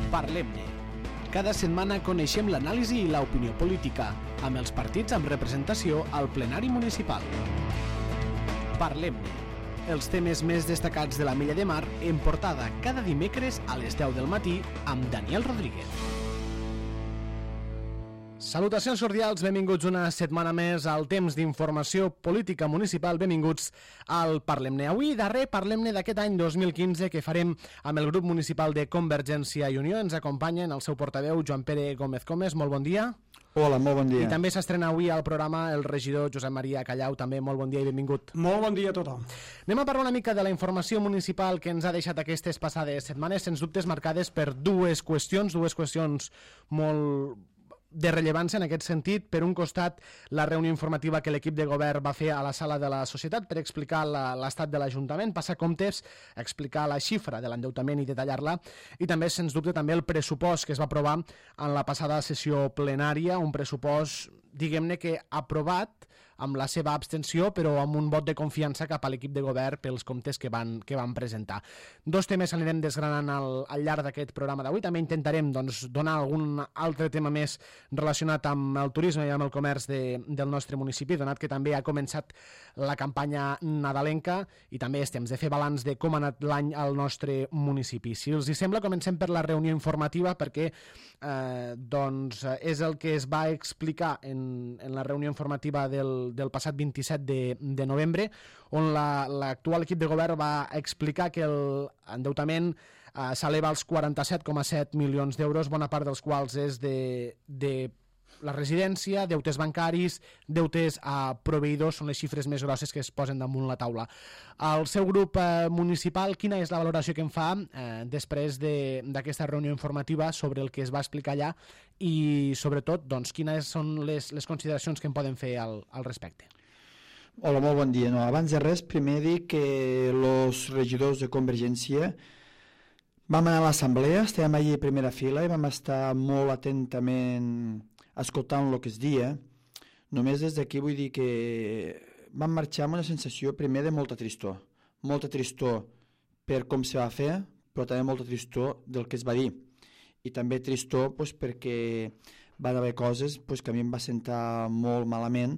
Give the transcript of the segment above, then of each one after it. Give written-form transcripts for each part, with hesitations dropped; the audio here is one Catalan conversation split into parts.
Parlem-ne. Cada setmana coneixem l'anàlisi i l'opinió política, amb els partits amb representació al plenari municipal. Parlem-ne. Els temes més destacats de la Mella de Mar en portada cada dimecres a les 10 del matí amb Daniel Rodríguez. Salutacions cordials, benvinguts una setmana més al temps d'informació política municipal, benvinguts al Parlem-ne. Avui, darrer Parlem-ne d'aquest any 2015 que farem amb el grup municipal de Convergència i Unió. Ens acompanyen el seu portaveu, Joan Pere Gómez Comes. Molt bon dia. Hola, molt bon dia. I també s'estrena avui al programa el regidor Josep Maria Callau. També molt bon dia i benvingut. Molt bon dia a tothom. Anem a parlar una mica de la informació municipal que ens ha deixat aquestes passades setmanes, sens dubtes marcades per dues qüestions molt de rellevància en aquest sentit. Per un costat, la reunió informativa que l'equip de govern va fer a la sala de la Societat per explicar l'estat de l'Ajuntament, passar comptes, explicar la xifra de l'endeutament i detallar-la, i també, sens dubte, també el pressupost que es va aprovar en la passada sessió plenària, un pressupost, diguem-ne que aprovat amb la seva abstenció, però amb un vot de confiança cap a l'equip de govern pels comptes que van presentar. Dos temes anirem desgranant al llarg d'aquest programa d'avui. També intentarem donar algun altre tema més relacionat amb el turisme i amb el comerç del nostre municipi, donat que també ha començat la campanya nadalenca i també és temps de fer balanç de com ha anat l'any al nostre municipi. Si els hi sembla, comencem per la reunió informativa perquè és el que es va explicar en la reunió informativa del passat 27 de novembre, on l'actual equip de govern va explicar que l'endeutament s'eleva als 47,7 milions d'euros, bona part dels quals és de la residència, deutes bancaris, deutes a proveïdors, són les xifres més grosses que es posen damunt la taula. El seu grup municipal, quina és la valoració que en fa després d'aquesta reunió informativa sobre el que es va explicar allà i, sobretot, quines són les consideracions que en poden fer al respecte? Hola, molt bon dia. Abans de res, primer dir que els regidors de Convergència vam anar a l'assemblea, estàvem allí a primera fila i vam estar molt atentament escoltant el que es dia. Només des d'aquí vull dir que vam marxar amb una sensació primer de molta tristor per com se va fer, però també molta tristor del que es va dir, i també tristor perquè van haver coses que a mi em va sentar molt malament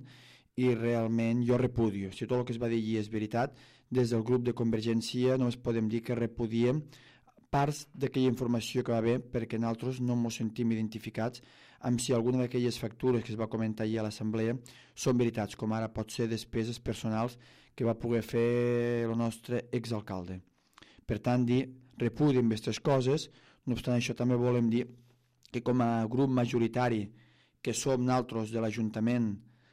i realment jo repudio. Si tot el que es va dir allí és veritat, des del grup de Convergència només podem dir que repudiem parts d'aquella informació que va haver, perquè nosaltres no ens sentim identificats amb si alguna d'aquelles factures que es va comentar allà a l'assemblea són veritats, com ara pot ser despeses personals que va poder fer el nostre exalcalde. Per tant, repudiem aquestes coses. No obstant això, també volem dir que com a grup majoritari que som nosaltres de l'Ajuntament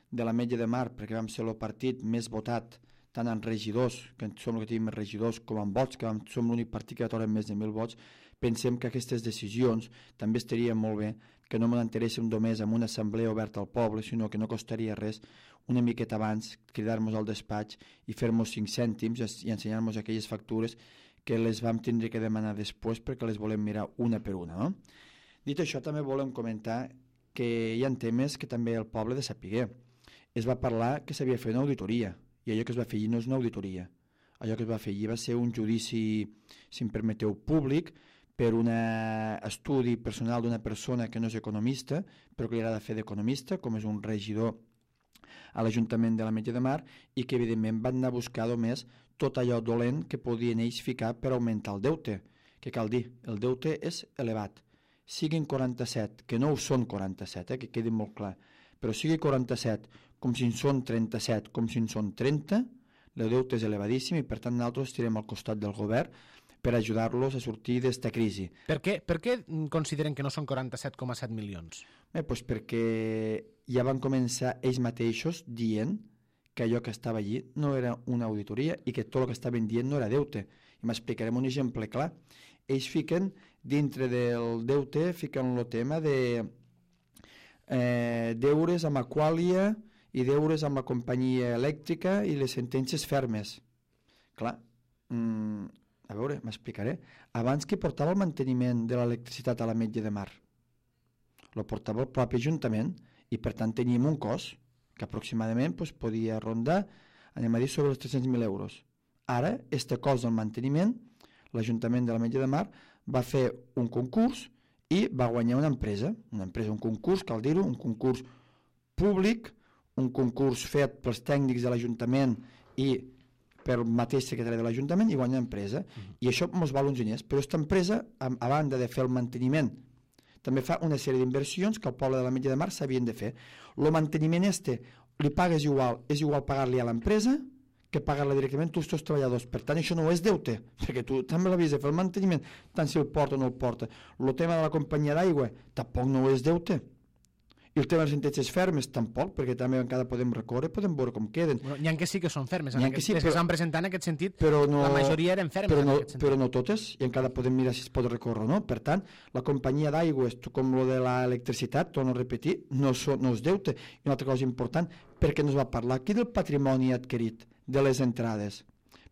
de l'Ametlla de Mar, perquè vam ser el partit més votat tant en regidors, que som el que tenim més regidors, com en vots, que som l'únic partit que va treure més de 1.000 vots, pensem que aquestes decisions també estaria molt bé, que no m'enteréssim només en una assemblea oberta al poble, sinó que no costaria res una miqueta abans cridar-nos al despatx i fer-nos 5 cèntims i ensenyar-nos aquelles factures que les vam tindre que demanar després perquè les volem mirar una per una. No? Dit això, també volem comentar que hi ha temes que també el poble de saber. Es va parlar que s'havia fet una auditoria, i allò que es va fer allí no és una auditoria. Allò que es va fer allí va ser un judici, si em permeteu, públic, per un estudi personal d'una persona que no és economista, però que li agrada fer d'economista, com és un regidor a l'Ajuntament de l'Ametlla de Mar, i que evidentment van anar a buscar només tot allò dolent que podien ells ficar per augmentar el deute. Que cal dir, el deute és elevat. Siguin 47, que no ho són 47, que quedi molt clar, però sigui 47, com si en són 37, com si en són 30, el deute és elevadíssim i per tant nosaltres estirem al costat del govern per ajudar-los a sortir d'esta crisi. Per què consideren que no són 47,7 milions? Perquè ja van començar ells mateixos dient que allò que estava allí no era una auditoria i que tot el que estaven dient no era deute. I m'explicarem un exemple clar. Ells fiquen, dintre del deute, fiquen el tema de deures amb Aqualia i deures amb la companyia elèctrica i les sentències fermes. Clar, a veure, m'explicaré. Abans qui portava el manteniment de l'electricitat a l'Ametlla de Mar? Lo portava el propi Ajuntament i per tant teníem un cost que aproximadament podia rondar, anem a dir, sobre els 300.000 euros. Ara, este cost del manteniment, l'Ajuntament de l'Ametlla de Mar va fer un concurs i va guanyar una empresa, un concurs, cal dir-ho, un concurs públic, un concurs fet pels tècnics de l'Ajuntament i pel mateix secretari de l'Ajuntament, i guanya empresa. I això ens val uns diners, però aquesta empresa, a banda de fer el manteniment, també fa una sèrie d'inversions que al poble de l'Ametlla de Mar s'havien de fer. El manteniment li pagues igual, és igual pagar-li a l'empresa que pagar-la directament tu els teus treballadors. Per tant, això no és deute, perquè tu també l'havies de fer el manteniment, tant si el porta o no el porta. El tema de la companyia d'aigua tampoc no és deute. I el tema dels sentències fermes tampoc, perquè també encara podem recórrer, podem veure com queden. Bueno, n'hi ha que sí que són fermes, que sí, que s'han presentat en aquest sentit, no, la majoria eren fermes en aquest sentit. Però no totes, i encara podem mirar si es pot recórrer o no. Per tant, la companyia d'aigües, com lo de l'electricitat, torno a repetir, no és deute. I una altra cosa important, perquè no es va parlar aquí del patrimoni adquirit, de les entrades.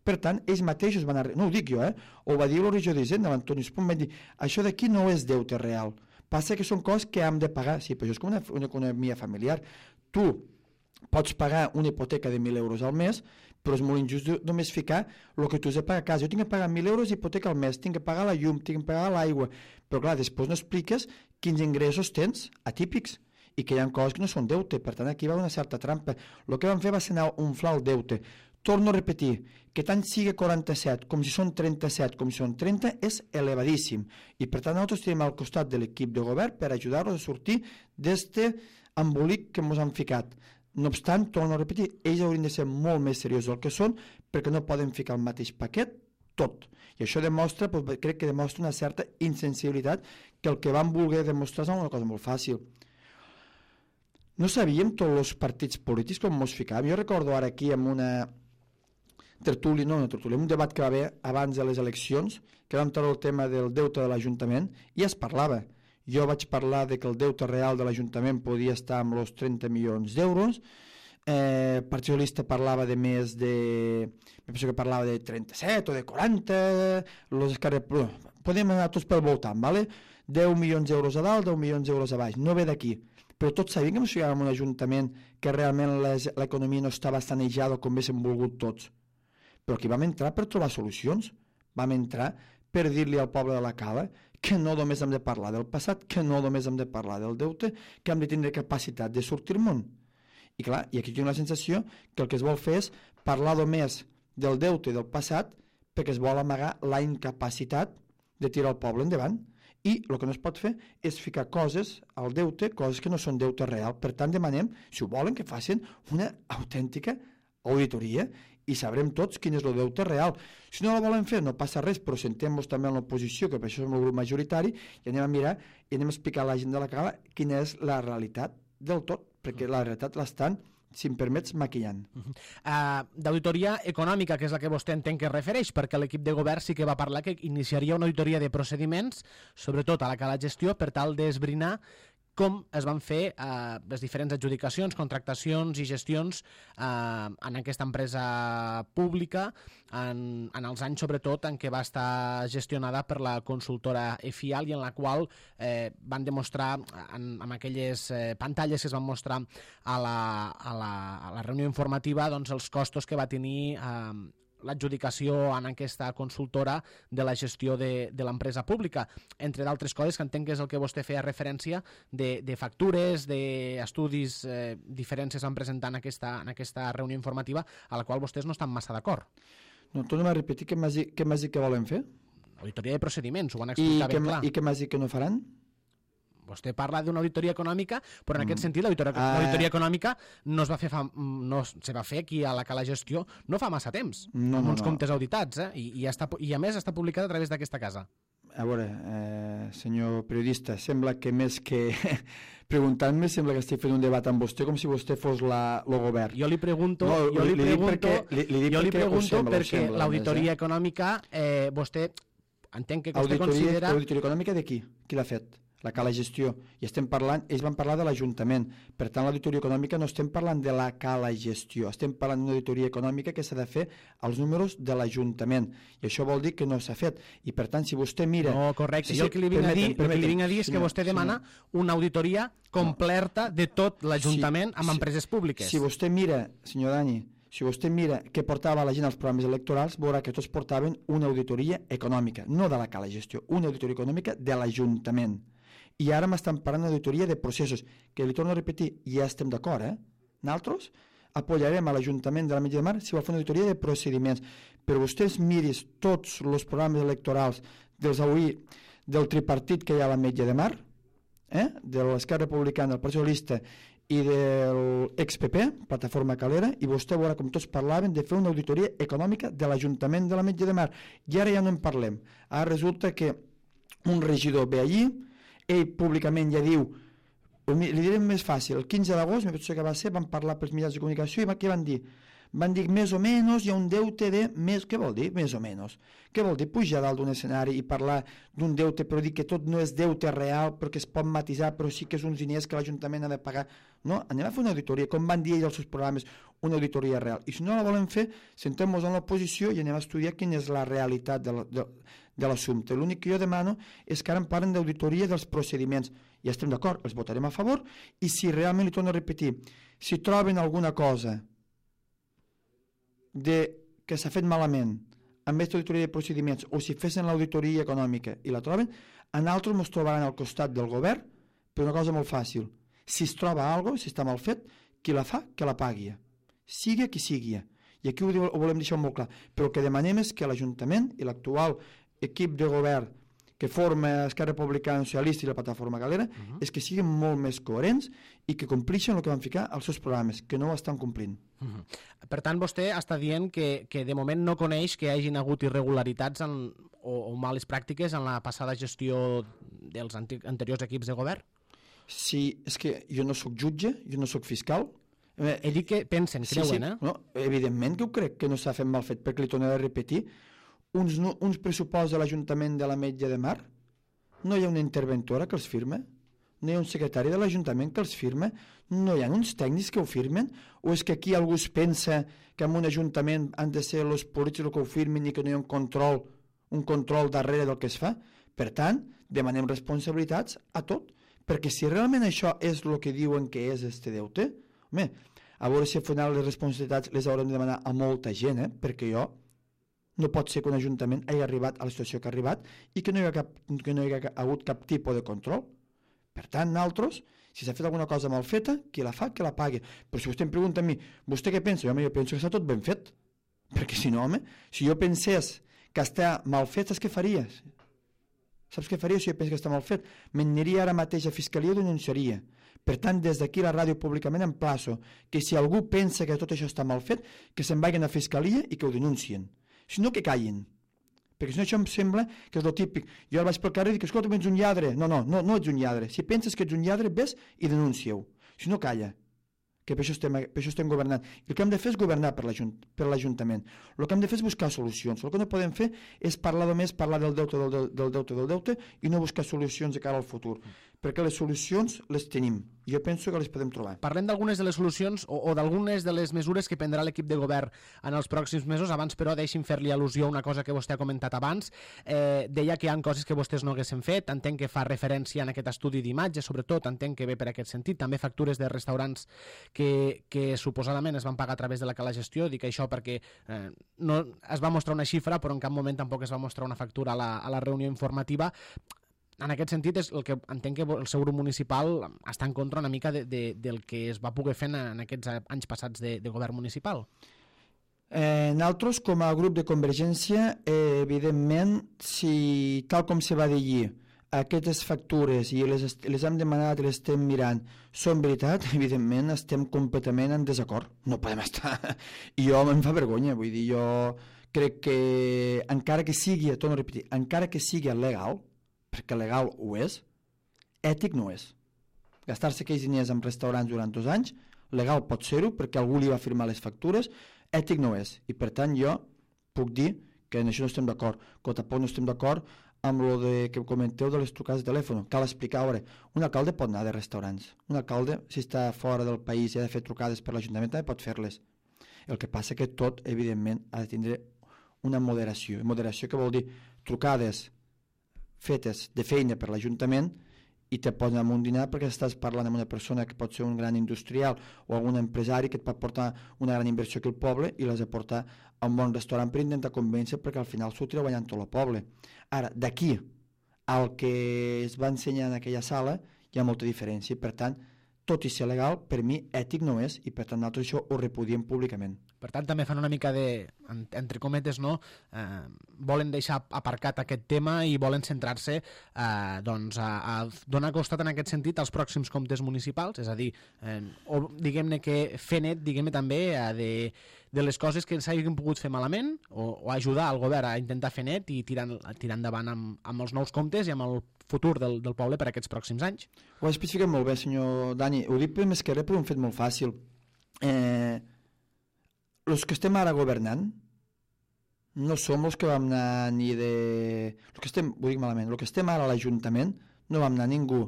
Per tant, ells mateixos van no ho dic jo, ho va dir el regidor d'Hisenda, l'Antoni Espon, van dir, això d'aquí no és deute real. Passa que són coses que hem de pagar. Sí, però això és com una economia familiar. Tu pots pagar una hipoteca de 1.000 euros al mes, però és molt injust només ficar el que tu has de pagar a casa. Jo tinc que pagar 1.000 euros d'hipoteca al mes, tinc que pagar la llum, tinc que pagar l'aigua. Però clar, després no expliques quins ingressos tens atípics i que hi ha coses que no són deute. Per tant, aquí va una certa trampa. El que van fer va ser anar a inflar el deute. Torno a repetir, que tant sigui 47 com si són 37, com si són 30, és elevadíssim. I per tant nosaltres estem al costat de l'equip de govern per ajudar-los a sortir d'aquest embolic que ens han ficat. No obstant, torno a repetir, ells haurien de ser molt més seriosos del que són perquè no poden ficar el mateix paquet tot. I això demostra, crec que demostra una certa insensibilitat que el que van voler demostrar és una cosa molt fàcil. No sabíem tots els partits polítics com ens ficàvem. Jo recordo ara aquí amb una tertúlia, un debat que va haver abans de les eleccions, que vam treure el tema del deute de l'Ajuntament, i es parlava. Jo vaig parlar de que el deute real de l'Ajuntament podia estar amb els 30 milions d'euros, el Partit Socialista parlava de més de... penso que parlava de 37 o de 40, podem anar tots pel voltant, ¿vale? 10 milions d'euros a dalt, 10 milions d'euros a baix, no ve d'aquí. Però tots sabien que ens ficàvem en un ajuntament que realment l'economia no estava sanejada com haguéssim volgut tots. Però aquí vam entrar per trobar solucions, vam entrar per dir-li al poble de la Cala que no només hem de parlar del passat, que no només hem de parlar del deute, que hem de tindre capacitat de sortir al món. I clar, i aquí tinc la sensació que el que es vol fer és parlar només del deute i del passat perquè es vol amagar la incapacitat de tirar el poble endavant. I el que no es pot fer és ficar coses al deute, coses que no són deute real. Per tant, demanem, si ho volen, que facin una autèntica auditoria i sabrem tots quin és el deute real. Si no la volen fer, no passa res, però sentem-nos també en l'oposició, que per això som el grup majoritari, i anem a mirar i anem a explicar a la gent de la Cala quina és la realitat del tot, perquè la realitat l'estan, si em permets, maquillant. D'auditoria econòmica, que és la que vostè entén que es refereix, perquè l'equip de govern sí que va parlar que iniciaria una auditoria de procediments, sobretot a la Cala Gestió, per tal d'esbrinar com es van fer les diferents adjudicacions, contractacions i gestions en aquesta empresa pública en els anys, sobretot, en què va estar gestionada per la consultora EFIAL i en la qual van demostrar, amb aquelles pantalles que es van mostrar a la reunió informativa, doncs, els costos que va tenir l'adjudicació en aquesta consultora de la gestió de l'empresa pública, entre d'altres coses que entenc que és el que vostè feia referència de factures, d'estudis diferents que es van presentar en aquesta reunió informativa a la qual vostès no estan massa d'acord. No, tornem a repetir, què m'has dit que volen fer? Auditoria de procediments, ho van explicar ben clar. I què m'has dit que no faran? Vostè parla d'una auditoria econòmica, però en aquest sentit l'auditoria econòmica no se va fer aquí a la Cala Gestió no fa massa temps, amb uns comptes auditats, i a més està publicada a través d'aquesta casa. A veure, senyor periodista, sembla que més que preguntant-me, sembla que estic fent un debat amb vostè com si vostè fos el govern. Jo li pregunto perquè l'auditoria econòmica, vostè entenc que vostè considera... Auditoria econòmica de qui? Qui l'ha fet? La Cala Gestió. I estem parlant, ells van parlar de l'Ajuntament. Per tant, l'auditoria econòmica no estem parlant de la Cala Gestió, estem parlant d'una auditoria econòmica que s'ha de fer als números de l'Ajuntament. I això vol dir que no s'ha fet. I per tant, si vostè mira... No, correcte. Jo el que li vinc a dir és que vostè demana una auditoria completa de tot l'Ajuntament amb empreses públiques. Si vostè mira, senyor Dani, si vostè mira què portava la gent als programes electorals, veurà que tots portaven una auditoria econòmica, no de la Cala Gestió, una auditoria econòmica de l'Ajuntament. I ara m'estan parlant d'auditoria de processos, que li torno a repetir, ja estem d'acord, Nosaltres apoyarem a l'Ajuntament de l'Ametlla de Mar si vol fer una auditoria de procediments, però vostès miris tots els programes electorals del tripartit que hi ha a l'Ametlla de Mar, de l'Esquerra Republicana, del Partit Socialista i de l'ex-PP, Plataforma Calera, i vostè veurà com tots parlaven de fer una auditoria econòmica de l'Ajuntament de l'Ametlla de Mar. I ara ja no en parlem. Ara resulta que un regidor ve allí, ell públicament ja diu, li direm més fàcil, el 15 d'agost, me penso que va ser, van parlar pels mitjans de comunicació i què van dir? Van dir més o menys hi ha un deute de més... Què vol dir més o menys? Què vol dir pujar dalt d'un escenari i parlar d'un deute però dir que tot no és deute real perquè es pot matisar però sí que és uns diners que l'Ajuntament ha de pagar? No, anem a fer una auditoria, com van dir ells als seus programes, una auditoria real. I si no la volen fer, sentem-nos en l'oposició i anem a estudiar quina és la realitat de l'assumpte. L'únic que jo demano és que ara em parlen d'auditoria dels procediments. Ja estem d'acord, els votarem a favor i si realment, li torno a repetir, si troben alguna cosa que s'ha fet malament amb aquesta auditoria de procediments o si fessin l'auditoria econòmica i la troben, a nosaltres ens trobaran al costat del govern per una cosa molt fàcil. Si es troba alguna cosa, si està mal fet, qui la fa, que la pagui. Sigui qui sigui. I aquí ho volem deixar molt clar. Però el que demanem és que l'Ajuntament i l'actual equip de govern que forma Esquerra Republicana Socialista i la Plataforma Galera és que siguin molt més coherents i que complixen el que van ficar als seus programes, que no ho estan complint. Per tant, vostè està dient que de moment no coneix que hi hagin hagut irregularitats o males pràctiques en la passada gestió dels anteriors equips de govern? Sí, és que jo no sóc jutge, jo no sóc fiscal. He dit que pensen, creuen, sí. No, evidentment que ho crec que no s'ha fet mal fet, perquè li tornaré a repetir, uns pressuposts de l'Ajuntament de l'Ametlla de Mar, no hi ha una interventora que els firma, no hi ha un secretari de l'Ajuntament que els firma, no hi ha uns tècnics que ho firmen, o és que aquí algú es pensa que en un ajuntament han de ser els polítics que ho firmin i que no hi ha un control darrere del que es fa? Per tant, demanem responsabilitats a tot, perquè si realment això és el que diuen que és este deute, home, a veure si al final les responsabilitats les haurem de demanar a molta gent, perquè no pot ser que un ajuntament hagi arribat a la situació que ha arribat i que no hi ha hagut cap tipus de control. Per tant, nosaltres, si s'ha fet alguna cosa mal feta, qui la fa, que la pagui. Però si vostè em pregunta a mi, vostè què pensa? Jo penso que està tot ben fet. Perquè si no, home, si jo pensés que està mal fet, saps què faries? Saps què faria si jo penso que està mal fet? M'aniria ara mateix a Fiscalia i denunciaria. Per tant, des d'aquí la ràdio públicament emplaço que si algú pensa que tot això està mal fet, que se'n vagin a Fiscalia i que ho denuncien. Si no, que callin. Perquè si no, això em sembla que és el típic. Jo vaig pel carrer i dic, escolta, ets un lladre. No ets un lladre. Si penses que ets un lladre, ves i denuncia-ho. Si no, calla. Que per això estem governant. I el que hem de fer és governar per l'Ajuntament. El que hem de fer és buscar solucions. El que no podem fer és parlar del deute i no buscar solucions de cara al futur. Perquè les solucions les tenim. I jo penso que les podem trobar. Parlem d'algunes de les solucions o d'algunes de les mesures que prendrà l'equip de govern en els pròxims mesos. Abans, però, deixi'm fer-li al·lusió a una cosa que vostè ha comentat abans. Deia que hi ha coses que vostès no haguessin fet. Entenc que fa referència en aquest estudi d'imatge, sobretot, entenc que ve per aquest sentit. També factures de restaurants que suposadament es van pagar a través de la cala gestió. Dic això perquè no es va mostrar una xifra, però en cap moment tampoc es va mostrar una factura a la reunió informativa. En aquest sentit, és el que entenc que el seu grup municipal està en contra una mica del que es va poder fer en aquests anys passats de govern municipal. Nosaltres, com a grup de Convergència, evidentment, si tal com se va dir allí, aquestes factures i les hem demanat i les estem mirant són veritat, evidentment estem completament en desacord. No podem estar... I jo em fa vergonya, vull dir, jo crec que encara que sigui, torno a repetir, encara que sigui legal, perquè legal ho és, ètic no és. Gastar-se aquells diners en restaurants durant 2 anys, legal pot ser-ho perquè algú li va firmar les factures, ètic no és. I per tant jo puc dir que en això no estem d'acord, que tampoc no estem d'acord amb el que comenteu de les trucades de telèfon. Cal explicar, a veure, un alcalde pot anar de restaurants. Un alcalde, si està fora del país i ha de fer trucades per l'Ajuntament, també pot fer-les. El que passa que tot, evidentment, ha de tindre una moderació. Moderació que vol dir trucades fetes de feina per l'Ajuntament i te posen amb un dinar perquè estàs parlant amb una persona que pot ser un gran industrial o algun empresari que et pot portar una gran inversió aquí al poble i l'has de portar a un bon restaurant per intentar convèncer perquè al final s'ho tira guanyant tot el poble. Ara, d'aquí al que es va ensenyar en aquella sala hi ha molta diferència. Per tant, tot i ser legal, per mi ètic no és, i per tant nosaltres això ho repudiem públicament. Per tant, també fan una mica de, entre cometes, no? Volen deixar aparcat aquest tema i volen centrar-se doncs, a donar costat en aquest sentit als pròxims comptes municipals, és a dir, diguem-ne que fer net, diguem-ne també, de les coses que s'hagin pogut fer malament o ajudar al govern a intentar fer net i tirar endavant amb els nous comptes i amb el futur del poble per aquests pròxims anys. Ho ha especificat molt bé, senyor Dani. Ho dic més que res per un fet molt fàcil. Els que estem ara governant no som els que vam anar ni de... Ho dic malament, els que estem ara a l'Ajuntament no vam anar ningú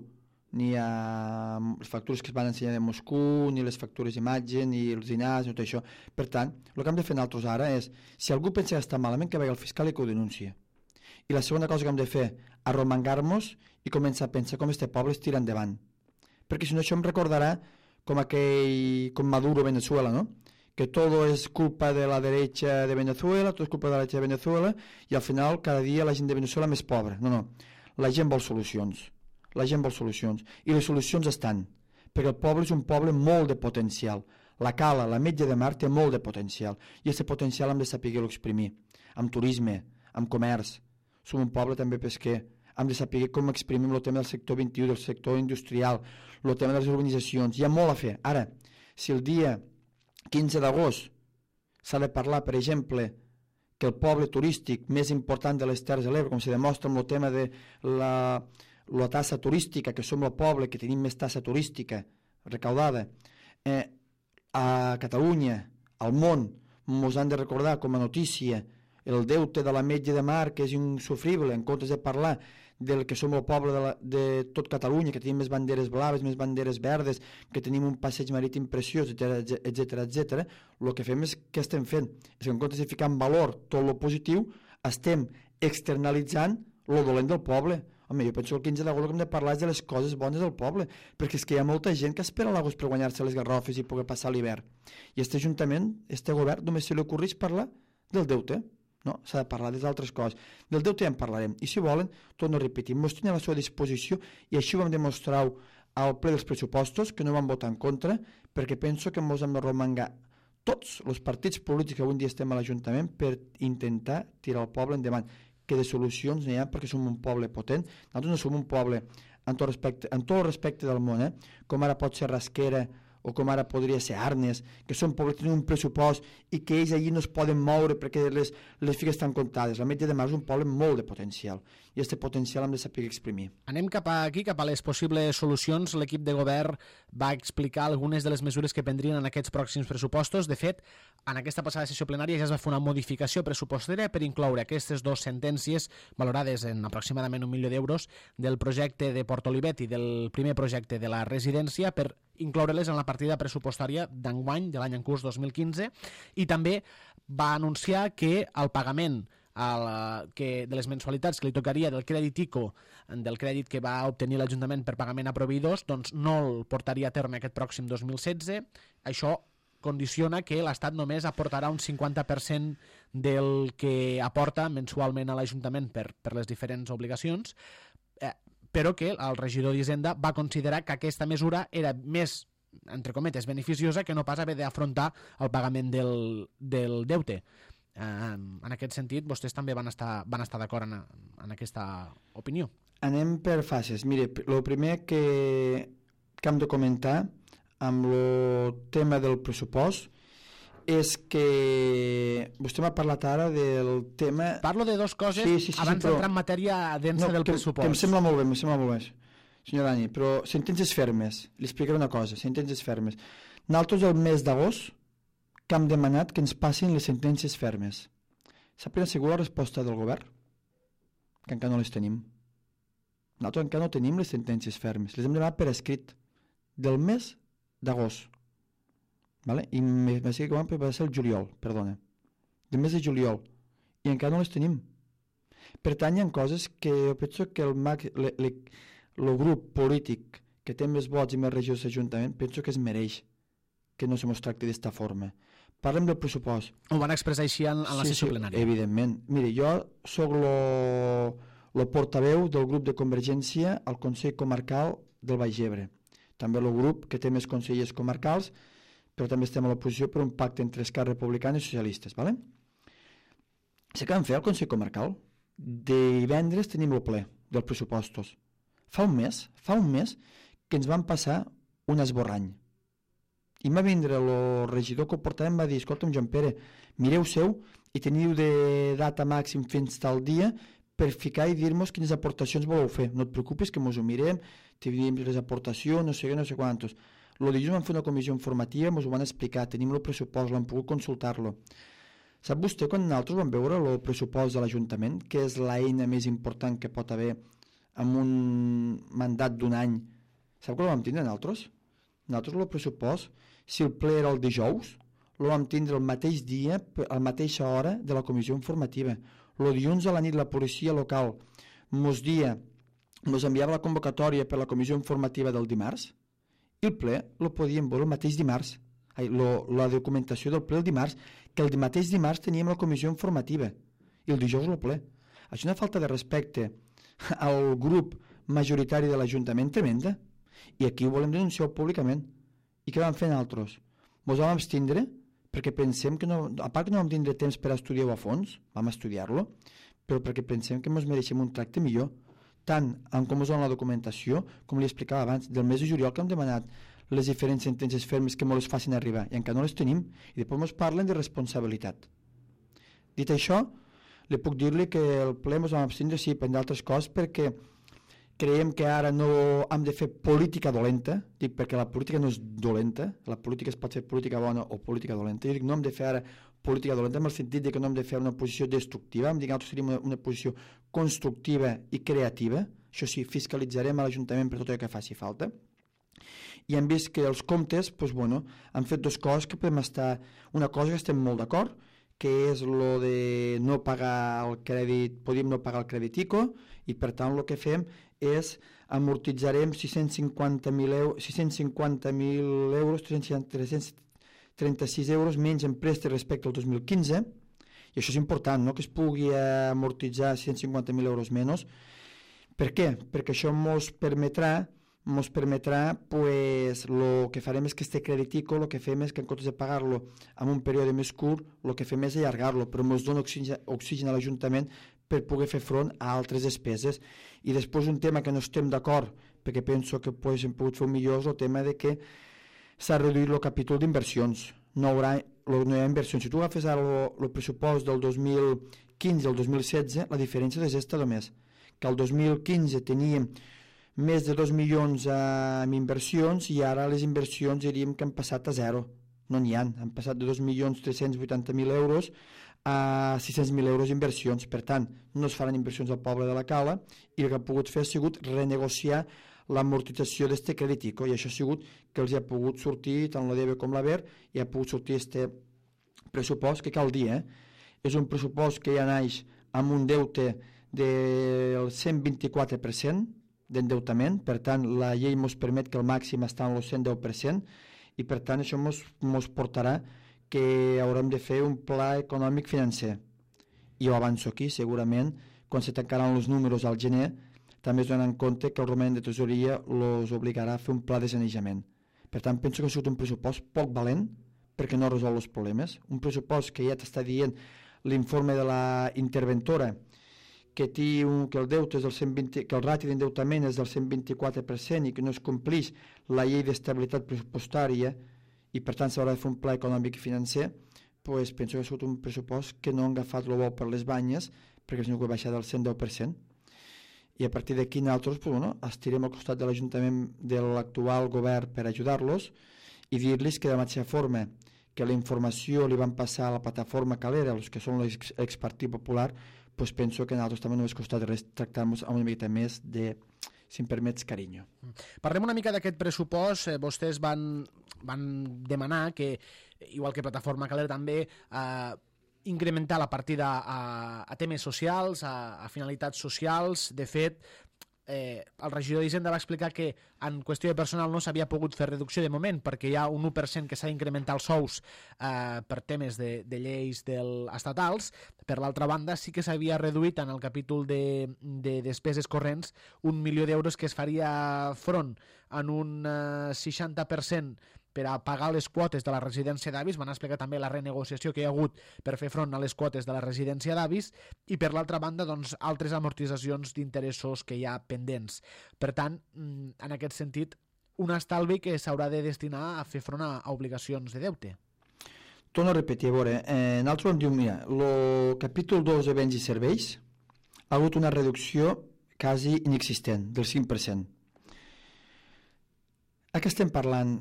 ni a les factures que es van ensenyar de Moscou, ni les factures d'imatge, ni els dinars, ni tot això. Per tant, el que hem de fer nosaltres ara és, si algú pensa que està malament, que vagi al fiscal i que ho denuncia. I la segona cosa que hem de fer, arromangar-nos i començar a pensar com este poble es tira endavant. Perquè si no això em recordarà com Maduro a Venezuela, ¿no? Que todo es culpa de la derecha de Venezuela, todo es culpa de la derecha de Venezuela, i al final cada dia la gent de Venezuela més pobra. No, la gent vol solucions. La gent vol solucions. I les solucions estan, perquè el poble és un poble molt de potencial. La Cala, la Metge de Mar, té molt de potencial. I aquest potencial hem de saber-ho exprimir. Amb turisme, amb comerç. Som un poble també pesquer. Hem de saber com exprimim el tema del sector 21, del sector industrial, el tema de les urbanitzacions. Hi ha molt a fer. Ara, si el dia 15 d'agost s'ha de parlar, per exemple, que el poble turístic més important de les Terres de l'Ebre, com se demostra amb el tema de la tassa turística, que som el poble que tenim més tassa turística recaudada, a Catalunya, al món, ens han de recordar com a notícia el deute de la Metge de Mar, que és insufrible, en comptes de parlar del que som el poble de tot Catalunya, que tenim més banderes blaves, més banderes verdes, que tenim un passeig marítim preciós, etc. El que fem és, què estem fent? És que en comptes de ficar en valor tot el positiu, estem externalitzant el dolent del poble. Home, jo penso que el 15 d'agost el que hem de parlar és de les coses bones del poble, perquè és que hi ha molta gent que espera l'agost per guanyar-se les garrofes i poder passar l'hivern. I aquest ajuntament, aquest govern, només se li ocorreix parlar del deute. No, s'ha de parlar d'altres coses. Del deute ja en parlarem. I si volen, torno a repetir, ens tenen a la seva disposició i així ho vam demostrar al ple dels pressupostos, que no van votar en contra, perquè penso que ens hem de romangar tots els partits polítics que avui dia estem a l'Ajuntament per intentar tirar el poble endavant, que de solucions n'hi ha perquè som un poble potent. Nosaltres no som un poble en tot el respecte del món, com ara pot ser Rasquera o com ara podria ser Arnes, que són pobles que tenen un pressupost i que ells allí no es poden moure perquè les figues estan comptades. La Metge de Mar és un poble molt de potencial i aquest potencial hem de saber exprimir. Anem cap a les possibles solucions. L'equip de govern va explicar algunes de les mesures que prendrien en aquests pròxims pressupostos. De fet, en aquesta passada sessió plenària ja es va fer una modificació pressupostària per incloure aquestes dues sentències valorades en aproximadament 1 milió d'euros del projecte de Port Olivet i del primer projecte de la residència per incloure-les en la partida pressupostària d'enguany de l'any en curs 2015, i també va anunciar que el pagament de les mensualitats que li tocaria del crèdit ICO, del crèdit que va obtenir l'Ajuntament per pagament a proveïdors, doncs no el portaria a terme aquest pròxim 2016. Això condiciona que l'Estat només aportarà un 50% del que aporta mensualment a l'Ajuntament per les diferents obligacions, però que el regidor d'Hisenda va considerar que aquesta mesura era més, entre cometes, beneficiosa que no pas haver d'afrontar el pagament del deute. En aquest sentit, vostès també van estar d'acord en aquesta opinió. Anem per fases. Mire, el primer que hem de comentar amb el tema del pressupost és que vostè m'ha parlat ara del tema... Parlo de dues coses abans d'entrar en matèria densa del pressupost. Que em sembla molt bé, senyor Dani, però sentències fermes. Li explicaré una cosa, sentències fermes. Nosaltres el mes d'agost que hem demanat que ens passin les sentències fermes. Sap quina ha sigut la resposta del govern? Que encara no les tenim. Nosaltres encara no tenim les sentències fermes. Les hem demanat per escrit del mes d'agost. Vale? I m'ha dit que va ser el juliol, perdona. Del mes de juliol. I encara no les tenim. Per tant, hi ha coses que jo penso que el grup polític que té més vots i més regidors d'Ajuntament penso que es mereix que no se mos tracti d'esta forma. Parlem del pressupost. Ho van expressar així en la sessió plenària. Evidentment. Mire, jo sóc el portaveu del grup de Convergència al Consell Comarcal del Baix Ebre. També el grup que té més consellers comarcals, però també estem a l'oposició per un pacte entre Esquerra Republicana i socialistes. ¿Vale? Sé que vam fer al Consell Comarcal. Divendres tenim el ple dels pressupostos. Fa un mes que ens van passar un esborrany. I va vindre el regidor que ho portava i em va dir: escolta'm, Joan Pere, mireu seu i teniu de data màxim fins tal dia per ficar i dir-nos quines aportacions voleu fer. No et preocupis que mos ho mirem, te diem les aportacions, no sé què, no sé quantos. El dilluns vam fer una comissió informativa, mos ho van explicar, tenim el pressupost, l'hem pogut consultar-lo. Sap vostè quan nosaltres vam veure el pressupost de l'Ajuntament, que és l'eina més important que pot haver en un mandat d'un any? Sap que el vam tindre nosaltres? Nosaltres el pressupost, si el ple era el dijous, el vam tindre el mateix dia, a la mateixa hora de la comissió informativa. El dilluns a la nit la policia local mos enviava la convocatòria per la comissió informativa del dimarts i el ple el podíem veure el mateix dimarts. La documentació del ple el dimarts, que el mateix dimarts teníem la comissió informativa i el dijous el ple. Això és una falta de respecte al grup majoritari de l'Ajuntament tremenda, i aquí ho volem denunciar públicament. I què vam fer nosaltres? Ens vam abstindre perquè pensem que no, a part que no vam tindre temps per estudiar-ho a fons, vam estudiar-lo, però perquè pensem que ens mereixem un tracte millor, tant en com us dona la documentació, com li explicava abans, del mes de juliol que hem demanat les diferents sentències fermes que ens les facin arribar, i encara no les tenim, i després ens parlen de responsabilitat. Dit això, li puc dir-li que el ple ens vam abstindre, sí, per d'altres coses, perquè creiem que ara no hem de fer política dolenta, dic perquè la política no és dolenta, la política es pot fer política bona o política dolenta, jo dic no hem de fer ara política dolenta en el sentit de que no hem de fer una posició destructiva, hem de dir que nosaltres tenim una posició constructiva i creativa, això sí, fiscalitzarem a l'Ajuntament per tot allò que faci falta, i hem vist que els comptes, doncs, bueno, han fet dues coses que podem estar, una cosa que estem molt d'acord, que és lo de no pagar el crèdit, podíem no pagar el crèdit ICO, i per tant el que fem és amortitzarem 650.000 euros, 336 euros menys en préstec respecte al 2015, i això és important, no? Que es pugui amortitzar 650.000 euros menys. Per què? Perquè això ens permetrà pues, el que farem és que este crèdit ICO, el que fem és que en comptes de pagar-lo en un període més curt, el que fem és allargar-lo, però ens dona oxigen a l'Ajuntament per poder fer front a altres despeses. I després un tema que no estem d'acord, perquè penso que pues, hem pogut fer millor, és el tema de que s'ha reduït el capítol d'inversions. No hi ha inversions. Si tu agafes ara el pressupost del 2015 al 2016, la diferència és esta només, que el 2015 teníem més de 2 milions en inversions i ara les inversions diríem que han passat a zero. No n'hi han passat de 2.380.000 euros a 600.000 euros d'inversions. Per tant, no es faran inversions al poble de la Cala i el que ha pogut fer ha sigut renegociar l'amortització d'este crèdit ICO, i això ha sigut que els ha pogut sortir tant la DEBE com la BER i ha pogut sortir este pressupost que cal dir, és un pressupost que ja naix amb un deute del 124% d'endeutament, per tant la llei ens permet que el màxim està en el 110% i per tant això ens portarà que haurem de fer un pla econòmic financer. I ho avanço aquí, segurament quan se tancaran els números al gener també es donen en compte que el romanent de tesoreria els obligarà a fer un pla de sanejament. Per tant, penso que ha sigut un pressupost poc valent perquè no resol els problemes, un pressupost que ja t'està dient l'informe de la interventora que el deute és del 120, que el rati d'endeutament és del 124% i que no es complix la llei d'estabilitat pressupostària i per tant s'haurà de fer un pla econòmic i financer, doncs penso que ha sigut un pressupost que no han agafat el bou per les banyes perquè és una que baixar del 110%. I a partir d'aquí nosaltres estirem al costat de l'Ajuntament de l'actual govern per ajudar-los i dir-los que de la mateixa forma que la informació li van passar a la plataforma Calera, els que són l'expartit popular, doncs penso que a nosaltres també no ens costa res tractar-nos amb una miqueta més de, si em permets, carinyo. Parlem una mica d'aquest pressupost. Vostès van demanar que, igual que Plataforma Calera també, incrementar la partida a temes socials, a finalitats socials. De fet, el regidor d'Hisenda va explicar que en qüestió de personal no s'havia pogut fer reducció de moment perquè hi ha un 1% que s'ha d'incrementar els sous per temes de lleis estatals. Per l'altra banda, sí que s'havia reduït en el capítol de despeses corrents 1 milió d'euros que es faria front en un 60% per a pagar les quotes de la residència d'avis. Van explicar també la renegociació que hi ha hagut per fer front a les quotes de la residència d'avis i per l'altra banda doncs, altres amortitzacions d'interessos que hi ha pendents. Per tant, en aquest sentit, un estalvi que s'haurà de destinar a fer front a obligacions de deute. Torno a repetir, a veure, nosaltres vam dir, mira, el capítol 2 de béns i serveis ha hagut una reducció quasi inexistent, del 5%. Aquí estem parlant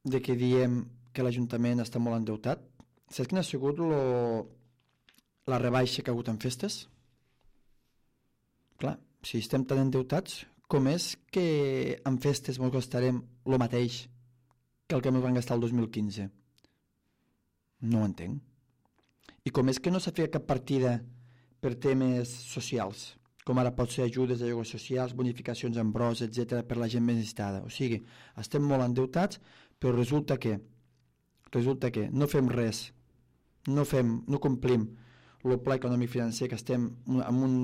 de que diem que l'Ajuntament està molt endeutat. Saps quina ha sigut la rebaixa que ha hagut en festes? Clar, si estem tan endeutats, com és que en festes ens gastarem el mateix que el que ens van gastar el 2015? No ho entenc. I com és que no s'ha fet cap partida per temes socials, com ara pot ser ajudes de lloguers socials, bonificacions en bros, etc., per la gent més necessitada. O sigui, estem molt endeutats, però resulta que no fem res, no complim el pla econòmic financer, que estem amb un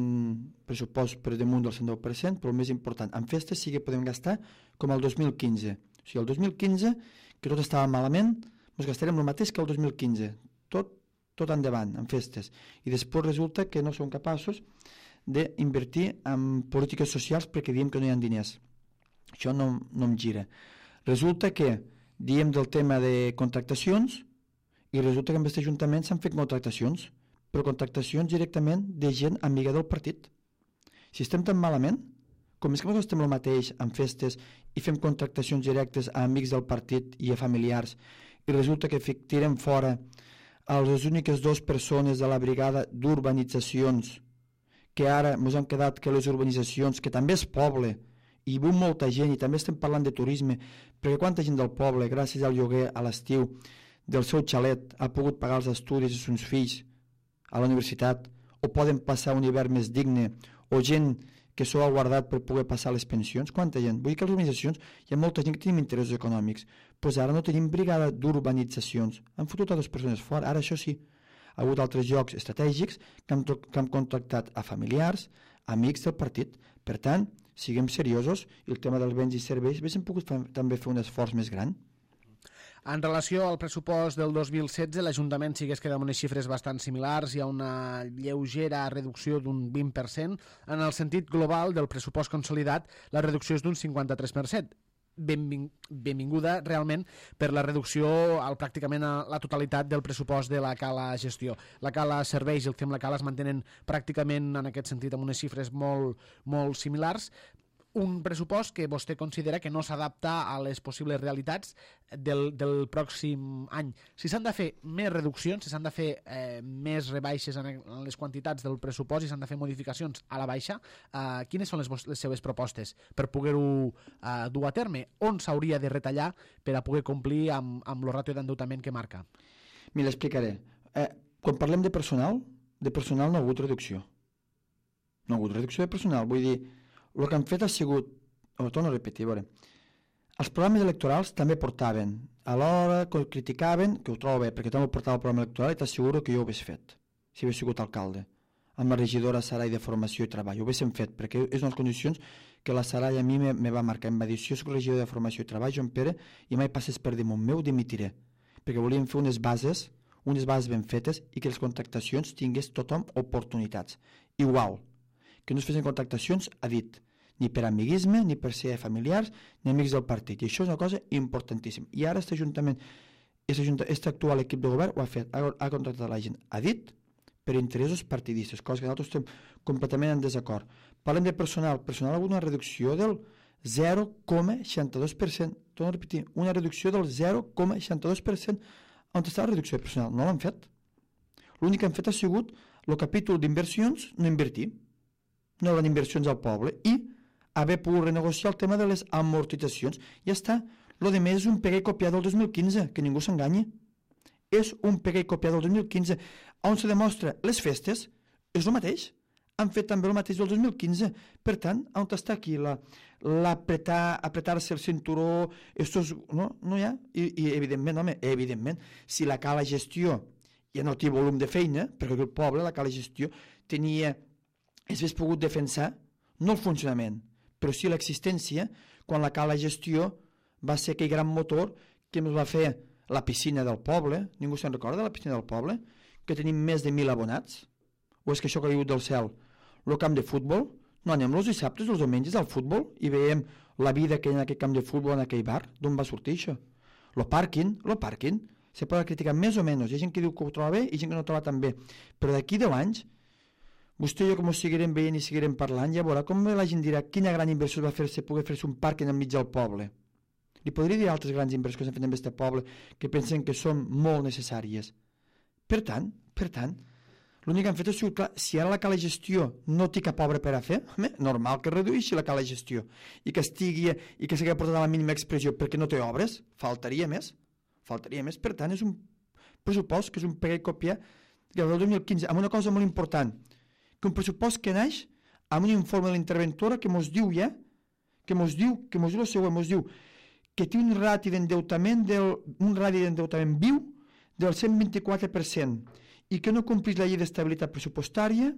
pressupost per damunt del 110%, però el més important, en festes sí que podem gastar com el 2015. O sigui, el 2015, que tot estava malament, ens gastarem el mateix que el 2015, tot endavant, en festes. I després resulta que no som capaços d'invertir en polítiques socials perquè diem que no hi ha diners. Això no em gira. Resulta que diem del tema de contractacions i resulta que en aquest ajuntament s'han fet contractacions, però contractacions directament de gent amiga del partit. Si estem tan malament, com és que nosaltres estem el mateix en festes i fem contractacions directes a amics del partit i a familiars i resulta que tirem fora a les úniques 2 persones de la brigada d'urbanitzacions, que ara ens han quedat que les urbanitzacions, que també és poble, i viu molta gent, i també estem parlant de turisme, perquè quanta gent del poble, gràcies al lloguer a l'estiu del seu xalet, ha pogut pagar els estudis dels seus fills a la universitat, o poden passar un hivern més digne, o gent que s'ho ha guardat per poder passar les pensions. Quanta gent? Vull dir que a les urbanitzacions hi ha molta gent que tenim interessos econòmics, doncs ara no tenim brigada d'urbanitzacions, han fotut a 2 persones fora. Ara això sí, ha hagut altres llocs estratègics que han contractat a familiars, amics del partit. Per tant, siguem seriosos, i el tema dels béns i serveis haguéssim pogut també fer un esforç més gran. En relació al pressupost del 2016, l'Ajuntament sí que es queda amb unes xifres bastant similars, hi ha una lleugera reducció d'un 20%, en el sentit global del pressupost consolidat la reducció és d'un 53%. Benvinguda realment per la reducció pràcticament a la totalitat del pressupost de la Cala Gestió. La Cala Serveis i el FEM La Cala es mantenen pràcticament en aquest sentit amb unes xifres molt, molt similars. Un pressupost que vostè considera que no s'adapta a les possibles realitats del pròxim any. Si s'han de fer més reduccions, si s'han de fer més rebaixes en les quantitats del pressupost i s'han de fer modificacions a la baixa, quines són les seves propostes per poder-ho dur a terme? On s'hauria de retallar per a poder complir amb el ràtio d'endeutament que marca? Mira, l'explicaré. Quan parlem de personal no ha hagut reducció. No ha hagut reducció de personal, vull dir, el que han fet ha sigut, ho torno a repetir, a veure, els programes electorals també portaven, alhora que criticaven, que ho trobo bé, perquè també portava el programa electoral i t'asseguro que jo ho hagués fet, si hagués sigut alcalde, amb la regidora Sarai de Formació i Treball, ho haguéssim fet, perquè és unes condicions que la Sarai a mi me va marcar, em va dir, si jo soc regidor de Formació i Treball, Joan Pere, i mai passes per damunt meu, dimitiré, perquè volíem fer unes bases ben fetes i que les contractacions tingués tothom oportunitats, igual, que no es fessin contractacions a dit, ni per amiguisme, ni per ser familiars, ni amics del partit. I això és una cosa importantíssima. I ara aquest ajuntament, aquest actual equip de govern ho ha fet, ha contractat la gent a dit per interessos partidistes, cosa que nosaltres estem completament en desacord. Parlem de personal. Personal ha hagut una reducció del 0,62%. Torno a repetir, una reducció del 0,62%. On està la reducció de personal? No l'han fet. L'únic que han fet ha sigut el capítol d'inversions, no invertir. No hi ha inversions al poble i haver pogut renegociar el tema de les amortitzacions. Ja està. Lo de més és un pegar i copiar del 2015, que ningú s'enganyi. És un pegar i copiar del 2015, on se demostra les festes, és el mateix. han fet també el mateix del 2015. Per tant, on està aquí apretar-se el cinturó, no hi ha? I evidentment, si la cala gestió ja no té volum de feina, perquè el poble, la cala gestió, es hagués pogut defensar, no el funcionament, però sí l'existència, quan la cala gestió va ser aquell gran motor que ens va fer la piscina del poble. Ningú se'n recorda de la piscina del poble? Que tenim més de 1.000 abonats? O és que això ha caigut del cel? El camp de futbol? No anem els dissabtes, els diumenges al futbol i veiem la vida que hi ha en aquest camp de futbol, en aquell bar? D'on va sortir això? El pàrquing, se pot criticar més o menys. Hi ha gent que diu que ho troba bé i gent que no ho troba tan bé. Però d'aquí 10 anys, vostè i jo, com ho seguirem veient i seguirem parlant, ja veurà com la gent dirà quina gran inversió va fer-se poder fer-se un pàrquing enmig del poble. Li podria dir altres grans inversions que s'han fet en aquest poble que pensen que són molt necessàries. Per tant, l'únic que han fet és, clar, si ara la cala gestió no té cap obra per a fer, normal que redueixi la cala gestió i que s'hagi portat a la mínima expressió perquè no té obres, faltaria més. Per tant, és un pressupost que és un pegar i copiar del 2015, amb una cosa molt important, que un pressupost que naix amb un informe de l'interventora que mos diu el següent, mos diu que té un rati d'endeutament viu del 124% i que no complís la llei d'estabilitat pressupostària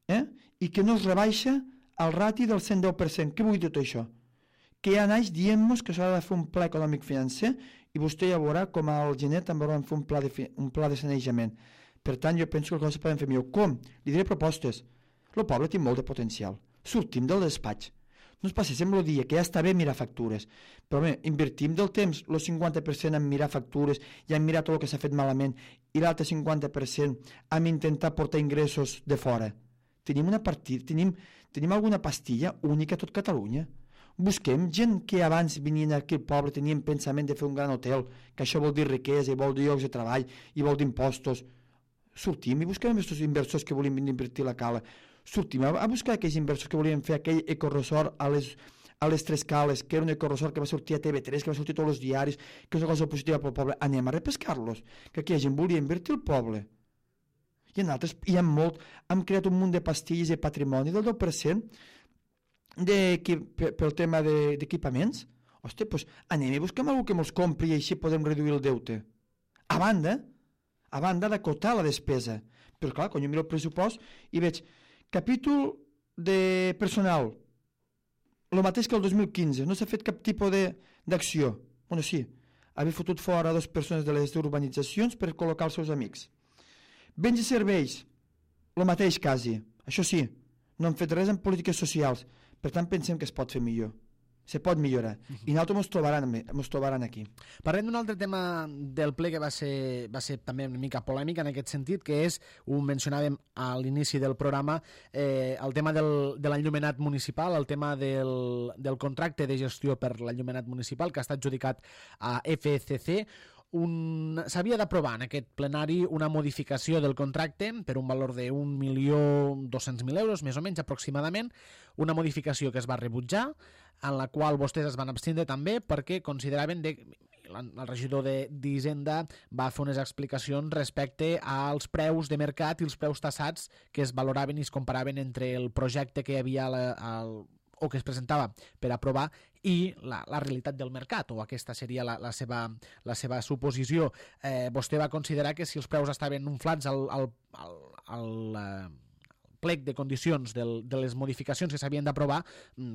i que no es rebaixa el rati del 110%. Què vull dir tot això? Que ja naix dient-nos que s'ha de fer un pla econòmic financer i vostè ja veurà com al gener també hauran de fer un pla de sanejament. Per tant, jo penso que les coses poden fer millor. Com? Li diré propostes. El poble té molt de potencial. Sortim del despatx. No es passéssim el dia, que ja està bé mirar factures, però bé, invertim del temps el 50% en mirar factures i en mirar tot el que s'ha fet malament i l'altre 50% en intentar portar ingressos de fora. Tenim alguna pastilla única a tot Catalunya. Busquem gent que abans venien aquí al poble, tenien pensament de fer un gran hotel, que això vol dir riquesa i vol dir llocs de treball i vol dir impostos. Sortim i busquem aquests inversors que volien invertir la cala. Sortim a buscar aquells inversors que volien fer aquell ecoresort a les Tres Cales, que era un ecoresort que va sortir a TV3, que va sortir a tots els diaris, que és una cosa positiva pel poble. Anem a repescar-los, que aquella gent volia invertir al poble. I en altres, hem creat un munt de pastilles de patrimoni del 10% pel tema d'equipaments. Hòstia, doncs anem i busquem algú que mos compri i així podem reduir el deute. A banda d'acotar la despesa. Però clar, quan jo miro el pressupost i veig capítol de personal, el mateix que el 2015, no s'ha fet cap tipus d'acció. Bueno, sí, haver fotut fora 2 persones de les urbanitzacions per col·locar els seus amics. Béns i serveis, el mateix quasi. Això sí, no han fet res en polítiques socials, per tant pensem que es pot fer millor. Se pot millorar. I nosaltres ens trobaran aquí. Parlem d'un altre tema del ple que va ser també una mica polèmic en aquest sentit, que és, ho mencionàvem a l'inici del programa, el tema de l'enllumenat municipal, el tema del contracte de gestió per l'enllumenat municipal que està adjudicat a FCC. S'havia d'aprovar en aquest plenari una modificació del contracte per un valor de 1.200.000 euros, més o menys aproximadament, una modificació que es va rebutjar, en la qual vostès es van abstindre també perquè consideraven el regidor d'Hisenda va fer unes explicacions respecte als preus de mercat i els preus tassats que es valoraven i es comparaven entre el projecte que hi havia o que es presentava per aprovar i la realitat del mercat, o aquesta seria la seva suposició. Vostè va considerar que si els preus estaven inflats al plec de condicions de les modificacions que s'havien d'aprovar,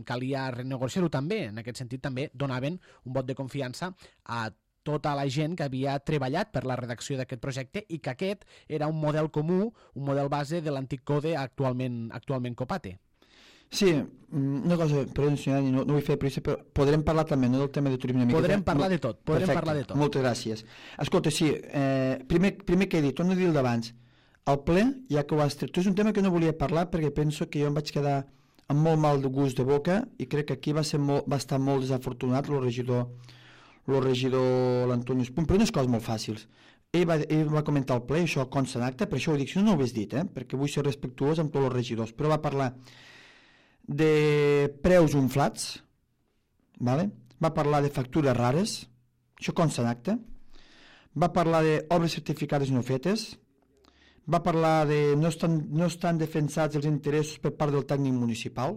calia renegociar-ho també. En aquest sentit també donaven un vot de confiança a tota la gent que havia treballat per la redacció d'aquest projecte i que aquest era un model comú, un model base de l'antic code actualment Copate. Sí, una cosa, perdó, no vull fer pressa, però podrem parlar també del tema de turisme. Podrem parlar de tot. Moltes gràcies. Escolta, sí, primer que he dit, torno a dir el d'abans, el ple, ja que ho has tret, és un tema que no volia parlar perquè penso que jo em vaig quedar amb molt mal de gust de boca i crec que aquí va estar molt desafortunat el regidor l'Antonio Espuny, però unes coses molt fàcils. Ell va comentar el ple, això consta en acte, per això ho dic, si no ho hagués dit, perquè vull ser respectuós amb tots els regidors, però va parlar de preus inflats, vale? Va parlar de factures rares, això consta en acte, va parlar d'obres certificades no fetes, va parlar de no estan defensats els interessos per part del tècnic municipal,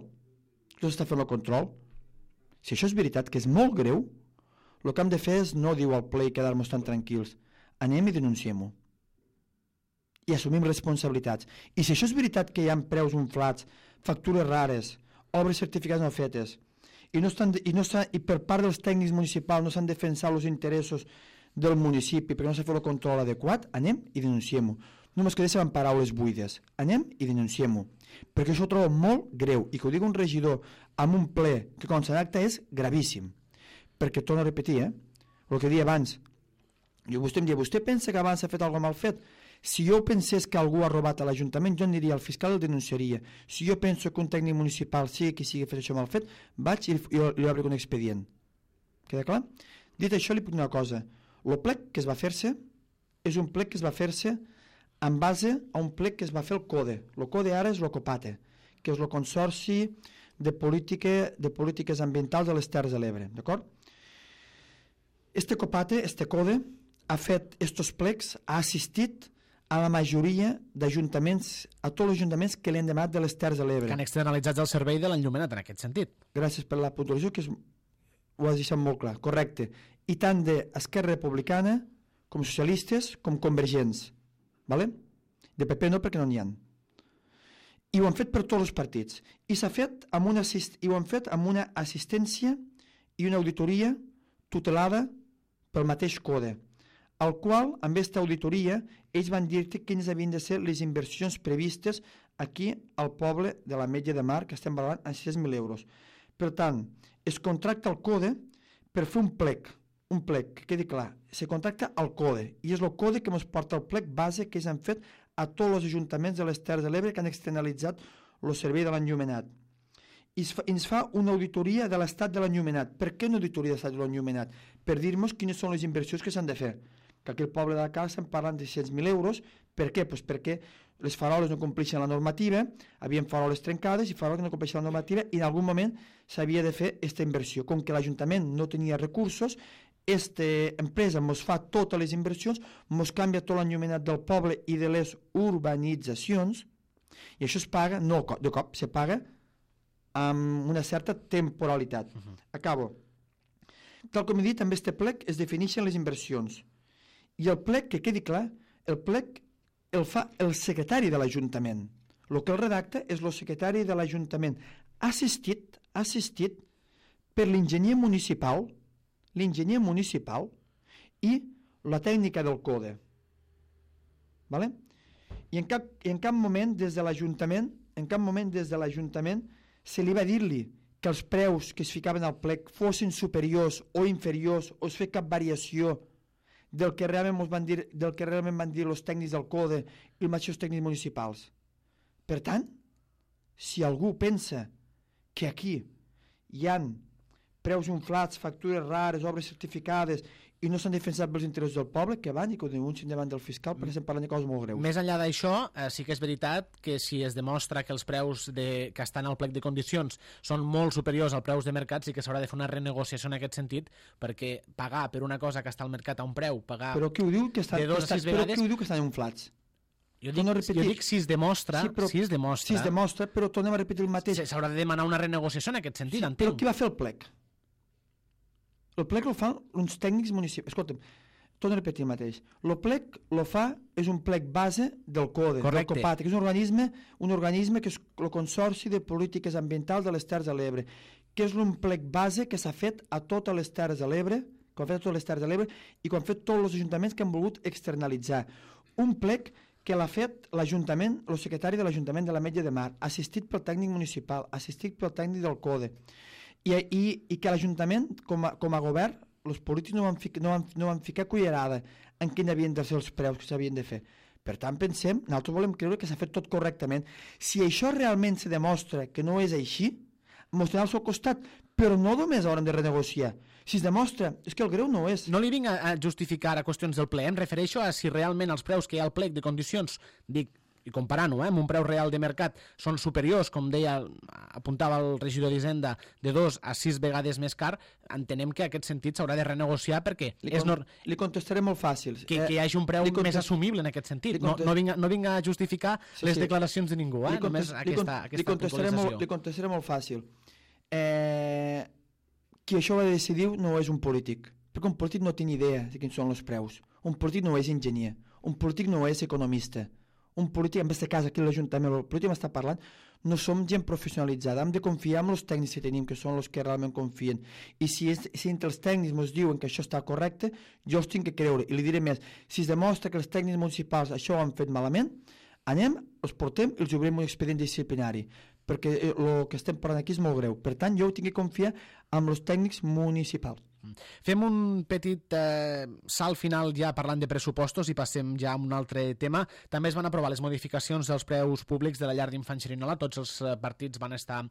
no s'està fent el control. Si això és veritat, que és molt greu, el que hem de fer és no diu al ple i quedar-nos tan tranquils. Anem i denunciem-ho. I assumim responsabilitats. I si això és veritat que hi ha preus inflats, factures rares, obres certificades no fetes, i per part dels tècnics municipals no s'han defensat els interessos del municipi perquè no s'ha fet el control adequat, anem i denunciem-ho. No ens quedéssim amb paraules buides. Anem i denunciem-ho. Perquè això ho trobo molt greu. I que ho digui un regidor amb un ple que consta d'acte és gravíssim. Perquè, torno a repetir, el que deia abans, vostè em diu, vostè pensa que abans s'ha fet alguna mal fet? Si jo pensés que algú ha robat a l'Ajuntament, jo aniria al fiscal i el denunciaria. Si jo penso que un tècnic municipal sigui qui sigui fet això mal fet, vaig i li obro un expedient. Queda clar? Dit això, li puc dir una cosa. El plec que es va fer-se és un plec que es va fer-se en base a un plec que es va fer el CODE. El CODE ara és el COPATE, que és el Consorci de Polítiques Ambientals de les Terres de l'Ebre. D'acord? Este COPATE, este CODE, ha fet estos plecs, ha assistit a la majoria d'ajuntaments, a tots els ajuntaments que li han demanat de les Terres de l'Ebre. Que han externalitzat el servei de l'enllumenat en aquest sentit. Gràcies per la puntualització, que ho has deixat molt clar. Correcte. I tant d'Esquerra Republicana, com socialistes, com convergents. Vale? De PP no, perquè no n'hi ha. I ho han fet per tots els partits. I s'ha fet amb una assistència i una auditoria tutelada pel mateix CODE, al qual, amb aquesta auditoria, ells van dir quines havien de ser les inversions previstes aquí al poble de l'Ametlla de Mar, que estem valorant en 6.000 euros. Per tant, es contracta el CODE per fer un plec, que quedi clar. Se contracta el CODE, i és el CODE que ens porta el plec base que ells han fet a tots els ajuntaments de les Terres de l'Ebre que han externalitzat el servei de l'enllumenat. I ens fa una auditoria de l'estat de l'enllumenat. Per què una auditoria de l'estat de l'enllumenat? Per dir-nos quines són les inversions que s'han de fer. Que aquí al poble de la Cala estem parlant de 600.000 euros. Per què? Pues perquè les faroles no compleixen la normativa, havien faroles trencades i faroles que no compleixen la normativa, i en algun moment s'havia de fer aquesta inversió. Com que l'Ajuntament no tenia recursos, aquesta empresa ens fa totes les inversions, ens canvia tot l'enllumenat del poble i de les urbanitzacions, i això es paga, no de cop, se paga amb una certa temporalitat. Acabo. Tal com he dit, amb este plec es defineixen les inversions. I el plec, que quedi clar, el plec el fa el secretari de l'Ajuntament. El que el redacta és el secretari de l'Ajuntament, assistit per l'enginyer municipal i la tècnica del CODE. Vale? I en cap moment des de l'Ajuntament se li va dir-li que els preus que es ficaven al plec fossin superiors o inferiors o es fer cap variació del que realment van dir els tècnics del CODE i els mateixos tècnics municipals. Per tant, si algú pensa que aquí hi ha preus inflats, factures rares, obres certificades i no s'han defensat pels interessos del poble, que van i que ho denuncien davant del fiscal, perquè estem parlant de coses molt greus. Més enllà d'això, sí que és veritat que si es demostra que els preus que estan al plec de condicions són molt superiors als preus de mercat, sí que s'haurà de fer una renegociació en aquest sentit, perquè pagar per una cosa que està al mercat a un preu, pagar però qui ho diu que de 2 a 6 vegades... Però qui ho diu que estan inflats? Jo dic si es demostra, Si es demostra, però tornem a repetir el mateix. S'haurà de demanar una renegociació en aquest sentit, entenc. Però qui va fer el plec? El plec el fan uns tècnics municipals. Escolta'm, torno a repetir el mateix. El plec és un plec base del CODE, del COPATE, que és un organisme que és el Consorci de Polítiques Ambientals de les Terres de l'Ebre, que és un plec base que s'ha fet a totes les Terres de l'Ebre, que han fet a totes les Terres de l'Ebre i que han fet tots els ajuntaments que han volgut externalitzar. Un plec que l'ha fet l'Ajuntament, el secretari de l'Ajuntament de l'Ametlla de Mar, assistit pel tècnic municipal, assistit pel tècnic del CODE, i que l'Ajuntament, com a govern, els polítics no van ficar cullerada en quin havien de ser els preus que s'havien de fer. Per tant, pensem, nosaltres volem creure que s'ha fet tot correctament. Si això realment se demostra que no és així, mostrarà al seu costat, però no només hauran de renegociar. Si es demostra, és que el greu no és. No li vinc a justificar a qüestions del ple, em refereixo a si realment els preus que hi ha al plec de condicions, dic, i comparant-ho amb un preu real de mercat, són superiors, com deia, apuntava el regidor d'Hisenda, de 2 a 6 vegades més car, entenem que en aquest sentit s'haurà de renegociar perquè li contestaré molt fàcil. Que hi hagi un preu més assumible en aquest sentit. No vinga a justificar les declaracions de ningú, només aquesta puntualització. Li contestaré molt fàcil. Qui això va decidir no és un polític, perquè un polític no té ni idea de quins són els preus. Un polític no és enginyer, un polític no és economista. Un polític, en aquest cas aquí a l'Ajuntament, el polític m'està parlant, no som gent professionalitzada, hem de confiar en els tècnics que tenim, que són els que realment confien. I si entre els tècnics ens diuen que això està correcte, jo els tinc que creure. I li diré més, si es demostra que els tècnics municipals això ho han fet malament, anem, els portem i els obrim un expedient disciplinari, perquè el que estem parlant aquí és molt greu. Per tant, jo ho tinc que confiar amb els tècnics municipals. Fem un petit salt final ja parlant de pressupostos i passem ja a un altre tema. També es van aprovar les modificacions dels preus públics de la llar d'infants Xerinola. Tots els partits van estar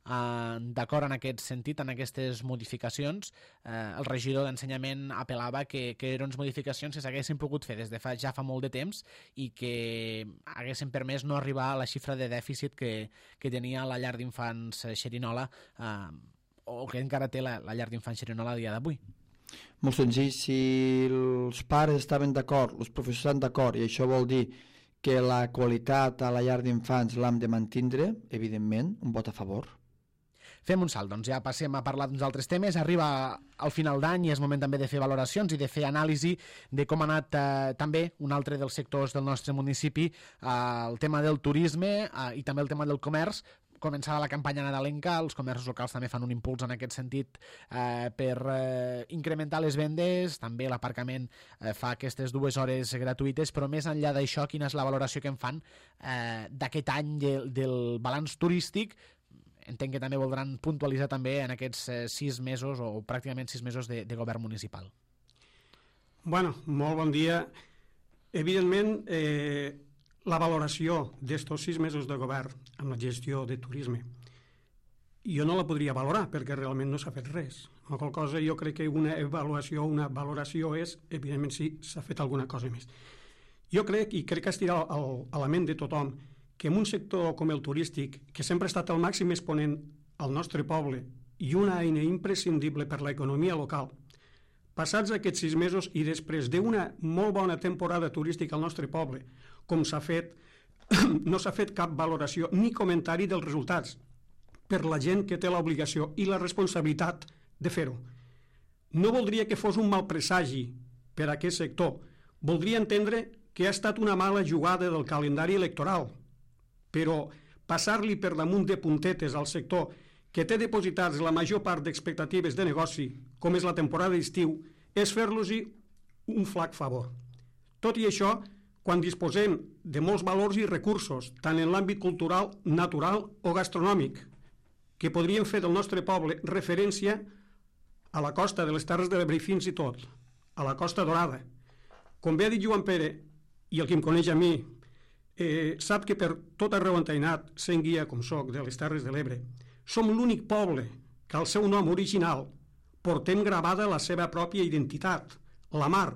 d'acord en aquest sentit, en aquestes modificacions. El regidor d'Ensenyament apel·lava que eren unes modificacions que s'haguessin pogut fer des de ja fa molt de temps i que haguessin permès no arribar a la xifra de dèficit que tenia la llar d'infants Xerinola, o que encara té la llar d'infants Xerinola a dia d'avui. Molt senzill, si els pares estaven d'acord, els professors estan d'acord, i això vol dir que la qualitat a la llar d'infants l'hem de mantindre, evidentment, un vot a favor. Fem un salt, doncs ja passem a parlar d'uns altres temes. Arriba al final d'any i és moment també de fer valoracions i de fer anàlisi de com ha anat també un altre dels sectors del nostre municipi, el tema del turisme i també el tema del comerç. Començava la campanya nadalenca, els comerços locals també fan un impuls en aquest sentit per incrementar les vendes, també l'aparcament fa aquestes 2 hores gratuïtes, però més enllà d'això, quina és la valoració que en fan d'aquest any del balanç turístic? Entenc que també voldran puntualitzar també en aquests 6 mesos o pràcticament 6 mesos de govern municipal. Bueno, molt bon dia. Evidentment, la valoració d'estos 6 mesos de govern amb la gestió de turisme jo no la podria valorar perquè realment no s'ha fet res. La qual cosa jo crec que una valoració és, evidentment, si s'ha fet alguna cosa més. Jo crec, i crec que estirà a la ment de tothom, que en un sector com el turístic, que sempre ha estat el màxim exponent al nostre poble i una eina imprescindible per l'economia local, passats aquests 6 mesos i després d'una molt bona temporada turística al nostre poble, com s'ha fet, no s'ha fet cap valoració ni comentari dels resultats per la gent que té l'obligació i la responsabilitat de fer-ho. No voldria que fos un mal presagi per a aquest sector. Voldria entendre que ha estat una mala jugada del calendari electoral, però passar-li per damunt de puntetes al sector que té depositats la major part d'expectatives de negoci, com és la temporada d'estiu, és fer-los-hi un flac favor. Tot i això, quan disposem de molts valors i recursos, tant en l'àmbit cultural, natural o gastronòmic, que podrien fer del nostre poble referència a la costa de les Terres de l'Ebre i fins i tot a la Costa Dorada. Com bé ha dit Joan Pere, i el que em coneix a mi, sap que per tot arreu on he anat, sent guia com soc de les Terres de l'Ebre, som l'únic poble que al seu nom original portem gravada la seva pròpia identitat, la mar.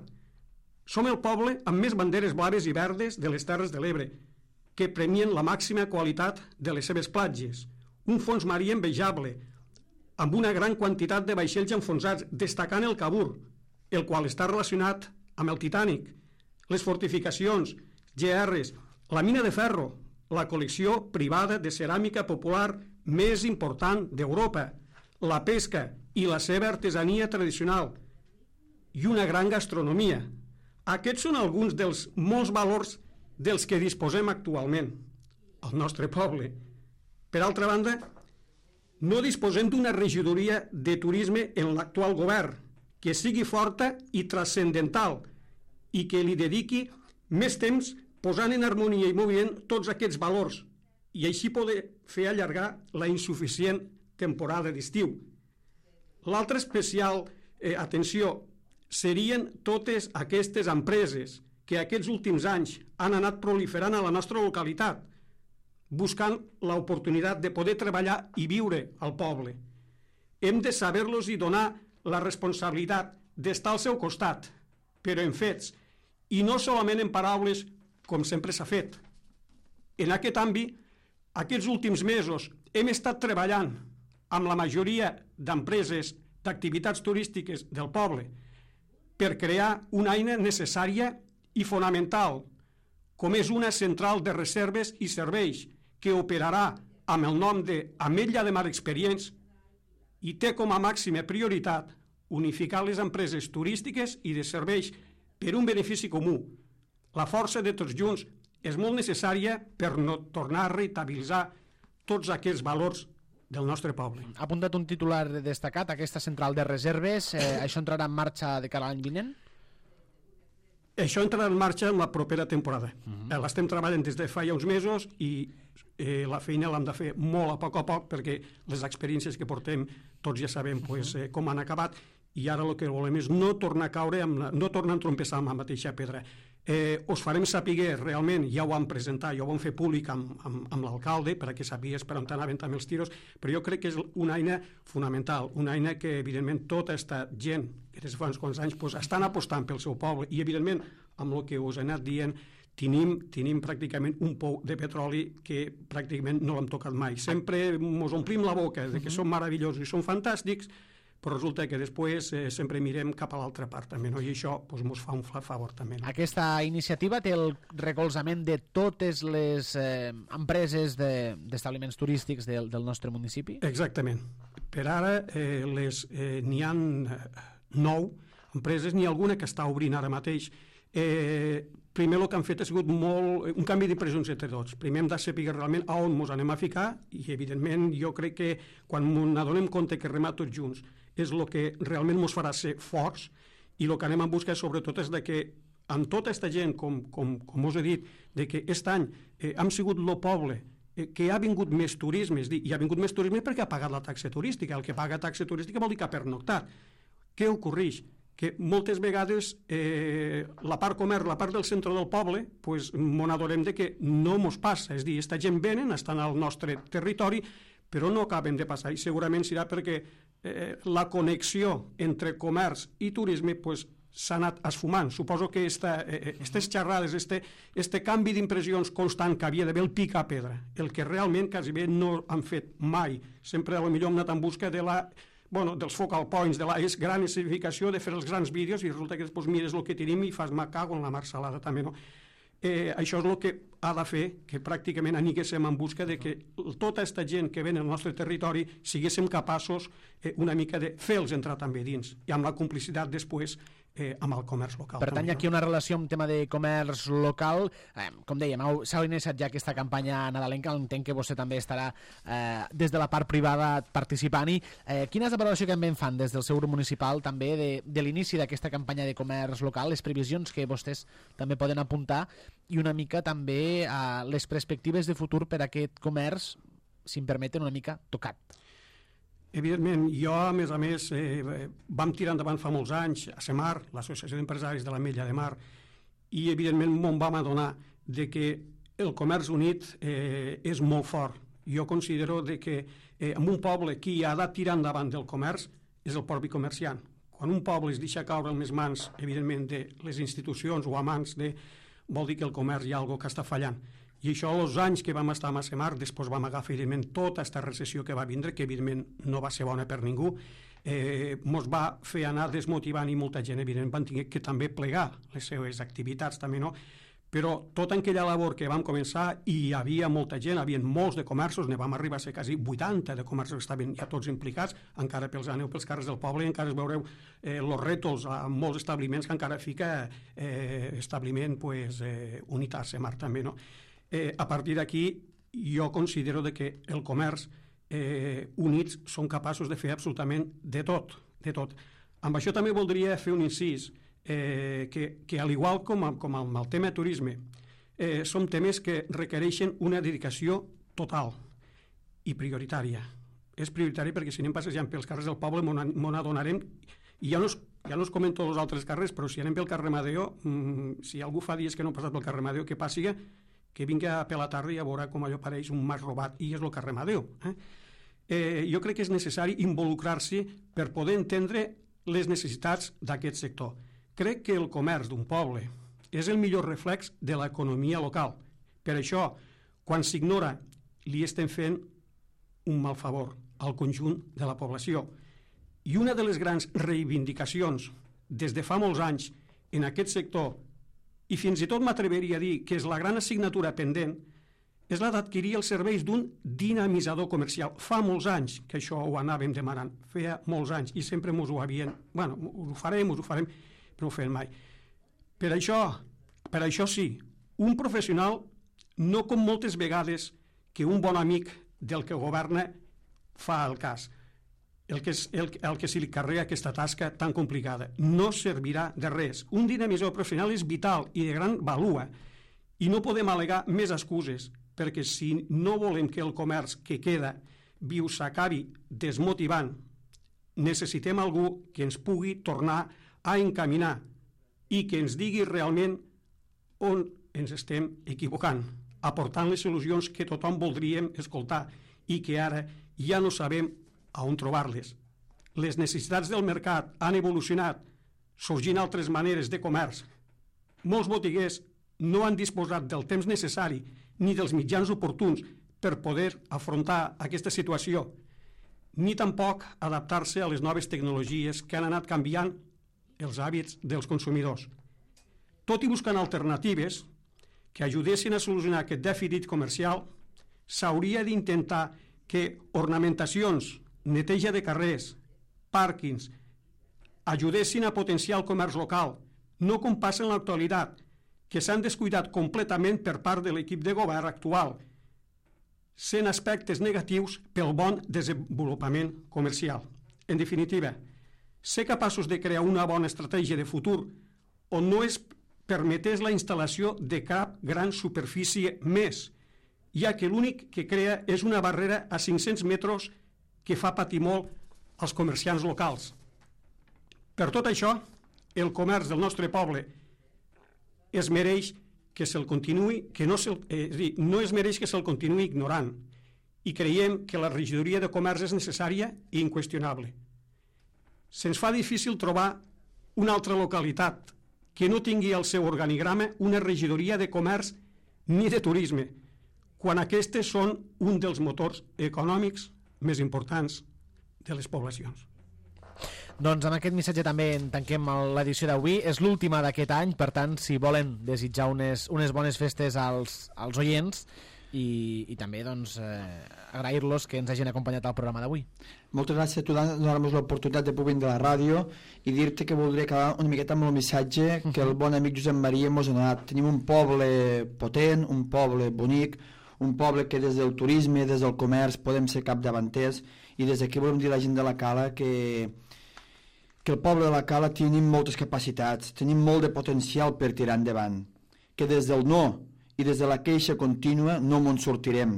Som el poble amb més banderes blaves i verdes de les Terres de l'Ebre, que premien la màxima qualitat de les seves platges, un fons marí envejable, amb una gran quantitat de vaixells enfonsats, destacant el Cabur, el qual està relacionat amb el Titanic, les fortificacions, GRs, la mina de ferro, la col·lecció privada de ceràmica popular més important d'Europa, la pesca i la seva artesania tradicional, i una gran gastronomia. Aquests són alguns dels molts valors dels que disposem actualment al nostre poble. Per altra banda, no disposem d'una regidoria de turisme en l'actual govern que sigui forta i transcendental i que li dediqui més temps posant en harmonia i moviment tots aquests valors i així poder fer allargar la insuficient temporada d'estiu. L'altra especial atenció serien totes aquestes empreses que aquests últims anys han anat proliferant a la nostra localitat, buscant l'oportunitat de poder treballar i viure al poble. Hem de saber-los i donar la responsabilitat d'estar al seu costat, però en fets, i no solament en paraules com sempre s'ha fet. En aquest àmbit, aquests últims mesos hem estat treballant amb la majoria d'empreses d'activitats turístiques del poble per crear una eina necessària i fonamental, com és una central de reserves i serveis que operarà amb el nom d'Ametlla de Mar Experience i té com a màxima prioritat unificar les empreses turístiques i de serveis per un benefici comú. La força de tots junts és molt necessària per no tornar a rentabilitzar tots aquests valors del nostre poble. Ha apuntat un titular destacat, aquesta central de reserves. Això entrarà en marxa de cara a l'any vinent? Això entrarà en marxa en la propera temporada. L'estem treballant des de fa ja uns mesos i la feina l'hem de fer molt a poc perquè les experiències que portem tots ja sabem com han acabat i ara el que volem és no tornar a caure, no tornar a entrompessar amb la mateixa pedra. Us farem saber realment, ja ho vam presentar, ja ho vam fer públic amb l'alcalde perquè sapigués per on anaven també els tiros, però jo crec que és una eina fonamental, una eina que evidentment tota aquesta gent que des de fa uns quants anys estan apostant pel seu poble i evidentment amb el que us he anat dient tenim pràcticament un pou de petroli que pràcticament no l'hem tocat mai. Sempre ens omplim la boca de que són meravellosos i són fantàstics, però resulta que després sempre mirem cap a l'altra part també, no? I això ens fa un flac favor també. No? Aquesta iniciativa té el recolzament de totes les empreses d'establiments turístics del nostre municipi? Exactament. Per ara n'hi ha 9 empreses, n'hi ha alguna que està obrint ara mateix. Primer el que han fet ha sigut un canvi d'impressions entre tots. Primer hem de saber realment a on ens anem a ficar i evidentment jo crec que quan ens adonem compte que remar tots junts és el que realment ens farà ser forts i el que anem a buscar sobretot és que amb tota aquesta gent, com us he dit, de que aquest any hem sigut el poble que ha vingut més turisme, i ha vingut més turisme perquè ha pagat la taxa turística. El que paga taxa turística vol dir que ha pernoctat. Què ocorreix? Que moltes vegades la part comerç, la part del centre del poble, ens adonem que no ens passa. És a dir, aquesta gent venen, estan al nostre territori, però no acaben de passar. I segurament serà perquè la connexió entre comerç i turisme s'ha anat esfumant. Suposo que aquestes xerrades, este canvi d'impressions constant que havia d'haver el pica-pedra, el que realment quasi bé no han fet mai. Sempre potser hem anat en busca dels focal points, de la gran escenificació, de fer els grans vídeos i resulta que després mires el que tenim i fas cago en la mar salada també, no? Això és el que ha de fer que pràcticament aniguéssim en busca de que tota aquesta gent que ven al nostre territori siguéssim capaços una mica de fer-los entrar també dins i amb la complicitat després amb el comerç local. Per tant, hi ha aquí una relació amb tema de comerç local. Com dèiem, s'ha iniciat ja aquesta campanya nadalenca, entenc que vostè també estarà des de la part privada participant-hi. Quina és la valoració que en fan des del seu grup municipal també de l'inici d'aquesta campanya de comerç local, les previsions que vostès també poden apuntar i una mica també les perspectives de futur per a aquest comerç, si em permeten, una mica tocat? Evidentment, jo, a més, vam tirar endavant fa molts anys a CEMAR, l'Associació d'Empresaris de l'Ametlla de Mar, i evidentment m'en vam adonar que el comerç unit és molt fort. Jo considero que en un poble qui ha de tirar endavant del comerç és el propi comerciant. Quan un poble es deixa caure en les mans, evidentment, de les institucions o a mans vol dir que el comerç hi ha alguna cosa que està fallant. I això, els anys que vam estar a CEMAR, després vam agafar, evidentment, tota aquesta recessió que va vindre, que, evidentment, no va ser bona per ningú, ens va fer anar desmotivant i molta gent, evidentment, van tenir que també plegar les seves activitats, també, no? Però tota aquella labor que vam començar, i hi havia molta gent, hi havia molts de comerços, ne vam arribar a ser quasi 80 de comerços que estaven ja tots implicats, encara aneu pels carrers del poble, encara veureu els rètols a molts establiments que encara fica establiment unit a CEMAR, també, no? A partir d'aquí, jo considero que el comerç units són capaços de fer absolutament de tot, de tot. Amb això també voldria fer un incís, que al igual com amb el tema turisme, són temes que requereixen una dedicació total i prioritària. És prioritari perquè si anem passejant pels carrers del poble m'on adonarem, i ja no us comento els altres carrers, però si anem pel carrer Madeo, si algú fa dies que no ha passat pel carrer Madeo, que passi que vingui a la tarda i a veure com allò pareix un mas robat, i és el carrer Madeo. Jo crec que és necessari involucrar-s'hi per poder entendre les necessitats d'aquest sector. Crec que el comerç d'un poble és el millor reflex de l'economia local. Per això, Quan s'ignora, li estem fent un mal favor al conjunt de la població. I una de les grans reivindicacions des de fa molts anys en aquest sector, i fins i tot m'atreveria a dir que és la gran assignatura pendent, és la d'adquirir els serveis d'un dinamitzador comercial. Fa molts anys que això ho anàvem demanant, feia molts anys, i sempre ens ho havien... Bueno, ho farem, però no ho fem mai. Per això sí, un professional, no com moltes vegades que un bon amic del que governa fa el cas, el que se li carrega aquesta tasca tan complicada. No servirà de res. Un dinamitzador professional és vital i de gran valua, i no podem al·legar més excuses, perquè si no volem que el comerç que queda viu s'acabi desmotivant, necessitem algú que ens pugui tornar a encaminar i que ens digui realment on ens estem equivocant, aportant les solucions que tothom voldríem escoltar i que ara ja no sabem a on trobar-les. Les necessitats del mercat han evolucionat, sorgint altres maneres de comerç. Molts botiguers no han disposat del temps necessari ni dels mitjans oportuns per poder afrontar aquesta situació, ni tampoc adaptar-se a les noves tecnologies que han anat canviant els hàbits dels consumidors. Tot i buscant alternatives que ajudessin a solucionar aquest dèficit comercial, s'hauria d'intentar que ornamentacions, neteja de carrers, pàrquings, ajudessin a potenciar el comerç local, no com passa en l'actualitat, que s'han descuidat completament per part de l'equip de govern actual, sent aspectes negatius pel bon desenvolupament comercial. En definitiva, ser capaços de crear una bona estratègia de futur on no es permetés la instal·lació de cap gran superfície més, ja que l'únic que crea és una barrera a 500 metres que fa patir molt als comerciants locals. Per tot això, el comerç del nostre poble es mereix que se'l continuï, no es mereix que se'l continuï ignorant, i creiem que la regidoria de comerç és necessària i inqüestionable. Se'ns fa difícil trobar una altra localitat que no tingui al seu organigrama una regidoria de comerç ni de turisme, quan aquestes són un dels motors econòmics més importants de les poblacions. Doncs amb aquest missatge també en tanquem l'edició d'avui. És l'última d'aquest any, per tant, si volen desitjar unes bones festes als oients i també doncs, agrair-los que ens hagin acompanyat al programa d'avui. Moltes gràcies a tu, donar-nos l'oportunitat de poder venir de la ràdio i dir-te que voldria acabar una miqueta amb el missatge que el bon amic Josep Maria ens ha donat. Tenim un poble potent, un poble bonic, un poble que des del turisme, des del comerç podem ser capdavanters, i des d'aquí volem dir a la gent de la Cala que el poble de la Cala tenim moltes capacitats, tenim molt de potencial per tirar endavant, que des del no i des de la queixa contínua no en sortirem.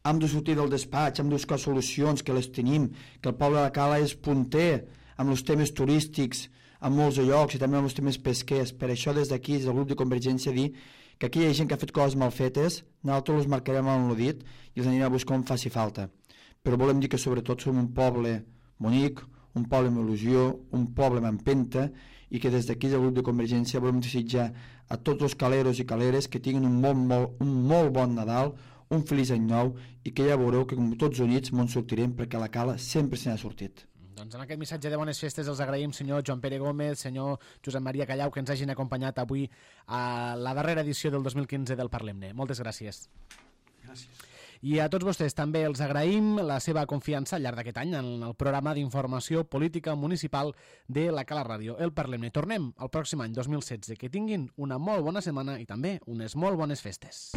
Hem de sortir del despatx, hem de buscar solucions, que les tenim, que el poble de la Cala és punter amb els temes turístics, amb molts llocs i també amb els temes pesquers. Per això des d'aquí, des del grup de Convergència, dir que aquí hi ha gent que ha fet coses mal fetes, nosaltres els marcarem amb el dit i els anirem a buscar on faci falta. Però volem dir que sobretot som un poble bonic, un poble amb il·lusió, un poble amb empenta, i que des d'aquí del grup de Convergència volem desitjar a tots els caleros i caleres que tinguin un molt bon Nadal, un feliç any nou, i que ja veureu que com tots units ens sortirem, perquè la Cala sempre se n'ha sortit. Doncs amb aquest missatge de bones festes els agraïm senyor Joan Pere Gómez, senyor Josep Maria Callau, que ens hagin acompanyat avui a la darrera edició del 2015 del Parlem-ne. Moltes gràcies. Gràcies. I a tots vostès també els agraïm la seva confiança al llarg d'aquest any en el programa d'informació política municipal de la Cala Ràdio, el Parlem-ne. Tornem el pròxim any 2016. Que tinguin una molt bona setmana i també unes molt bones festes.